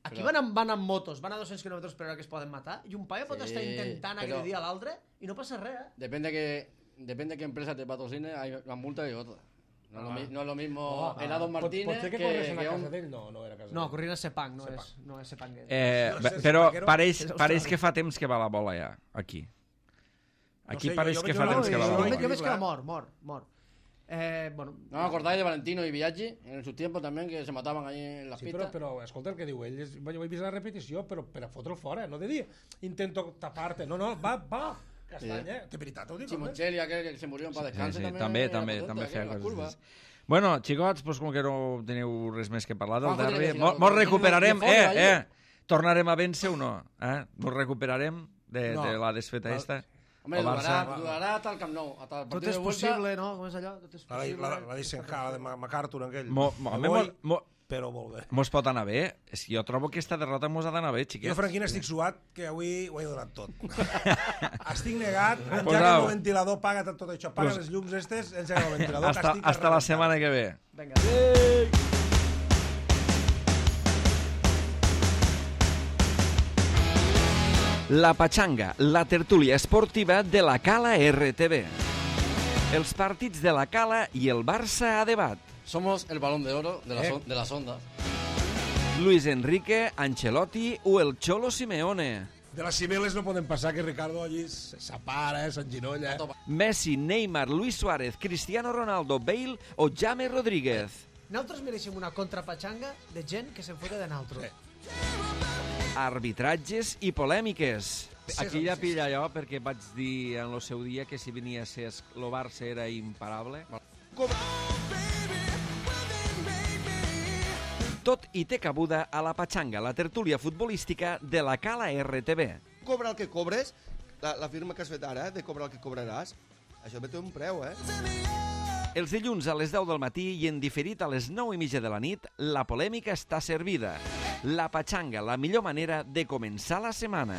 Aquí van amb motos, van a 200 km per hora que es poden matar, i un paio pot estar intentant però- agredir a l'altre i no passa res, Depende qué empresa te patrocine, hay una multa y otra. No es lo mismo Helado Martínez Potser que que corres a la un- casa d'ell? No era casa No, d'ell. corrent a Sepang, no és Sepang. Però Vaquero pareix que fa temps que va la bola ja, aquí. Aquí sé, pareix jo que veig fa una temps que va la bola. bola. Jo veig que va mort. Bueno, ¿No os acordáis de Valentino y Biaggi en sus tiempos también que se mataban ahí en las Sí, pistas? però escolta el que diu ell, jo he vist la repetició, però per a fotre'l fora, no de dir intento tapar-te, no, va, castany, De veritat, ho dic, home. Simoncelli, aquel que se murió en paz descanse, Sí, también també era potente, feia aquel, en las coses. curvas. Bueno, xicots, doncs com que no teniu res més que parlar del Juanjo tiene que derbi, decir algo. mos recuperarem, Tiene un folio tornarem a vèncer o no? Mos recuperarem de No. la desfeta esta? Hombre, El Barça. durará hasta el Camp Nou, hasta el tot partido és de vuelta. possible, no? Com és allò? Tot és possible. La d'Eisenhower, la de MacArthur, aquell. Home, Però molt bé. mos pot anar bé. És que jo trobo que aquesta derrota mos ha d'anar bé, Jo, xiquets. Franquina, estic suat, que avui ho he donat tot. Estic negat, Pues engega au. el ventilador, paga tot això, apaga Pues- les llums estes, engega el ventilador, que estic Hasta la arrebentat. setmana que ve. Vinga. La Pachanga, la tertúlia esportiva de la Cala RTV. Els partits de la Cala i el Barça a debat. Somos el balón de oro de las ondas. Luis Enrique, Ancelotti o el Cholo Simeone. De les cimeles no poden passar que Ricardo allí s'apara, s'enginolla. Messi, Neymar, Luis Suárez, Cristiano Ronaldo, Bale o James Rodríguez. Nosaltres mereixem una contrapatxanga de gent que se'n fota de naltro. Arbitratges i polèmiques. Aquí ja pilla jo perquè vaig dir en el seu dia que si venia a ser el Barça era imparable. Tot i té cabuda a la Pachanga, la tertúlia futbolística de la Cala RTV. Cobra el que cobres, la firma que has fet ara, de cobrar el que cobraràs, això també té un preu, Els dilluns a les 10 del matí i en diferit a les 9:30 de la nit, la polèmica està servida. La Pachanga, la millor manera de començar la setmana.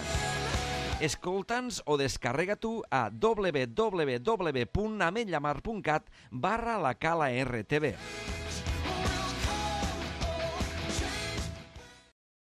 Escolta'ns o descarrega tu a www.ametllamar.cat/la Cala RTV.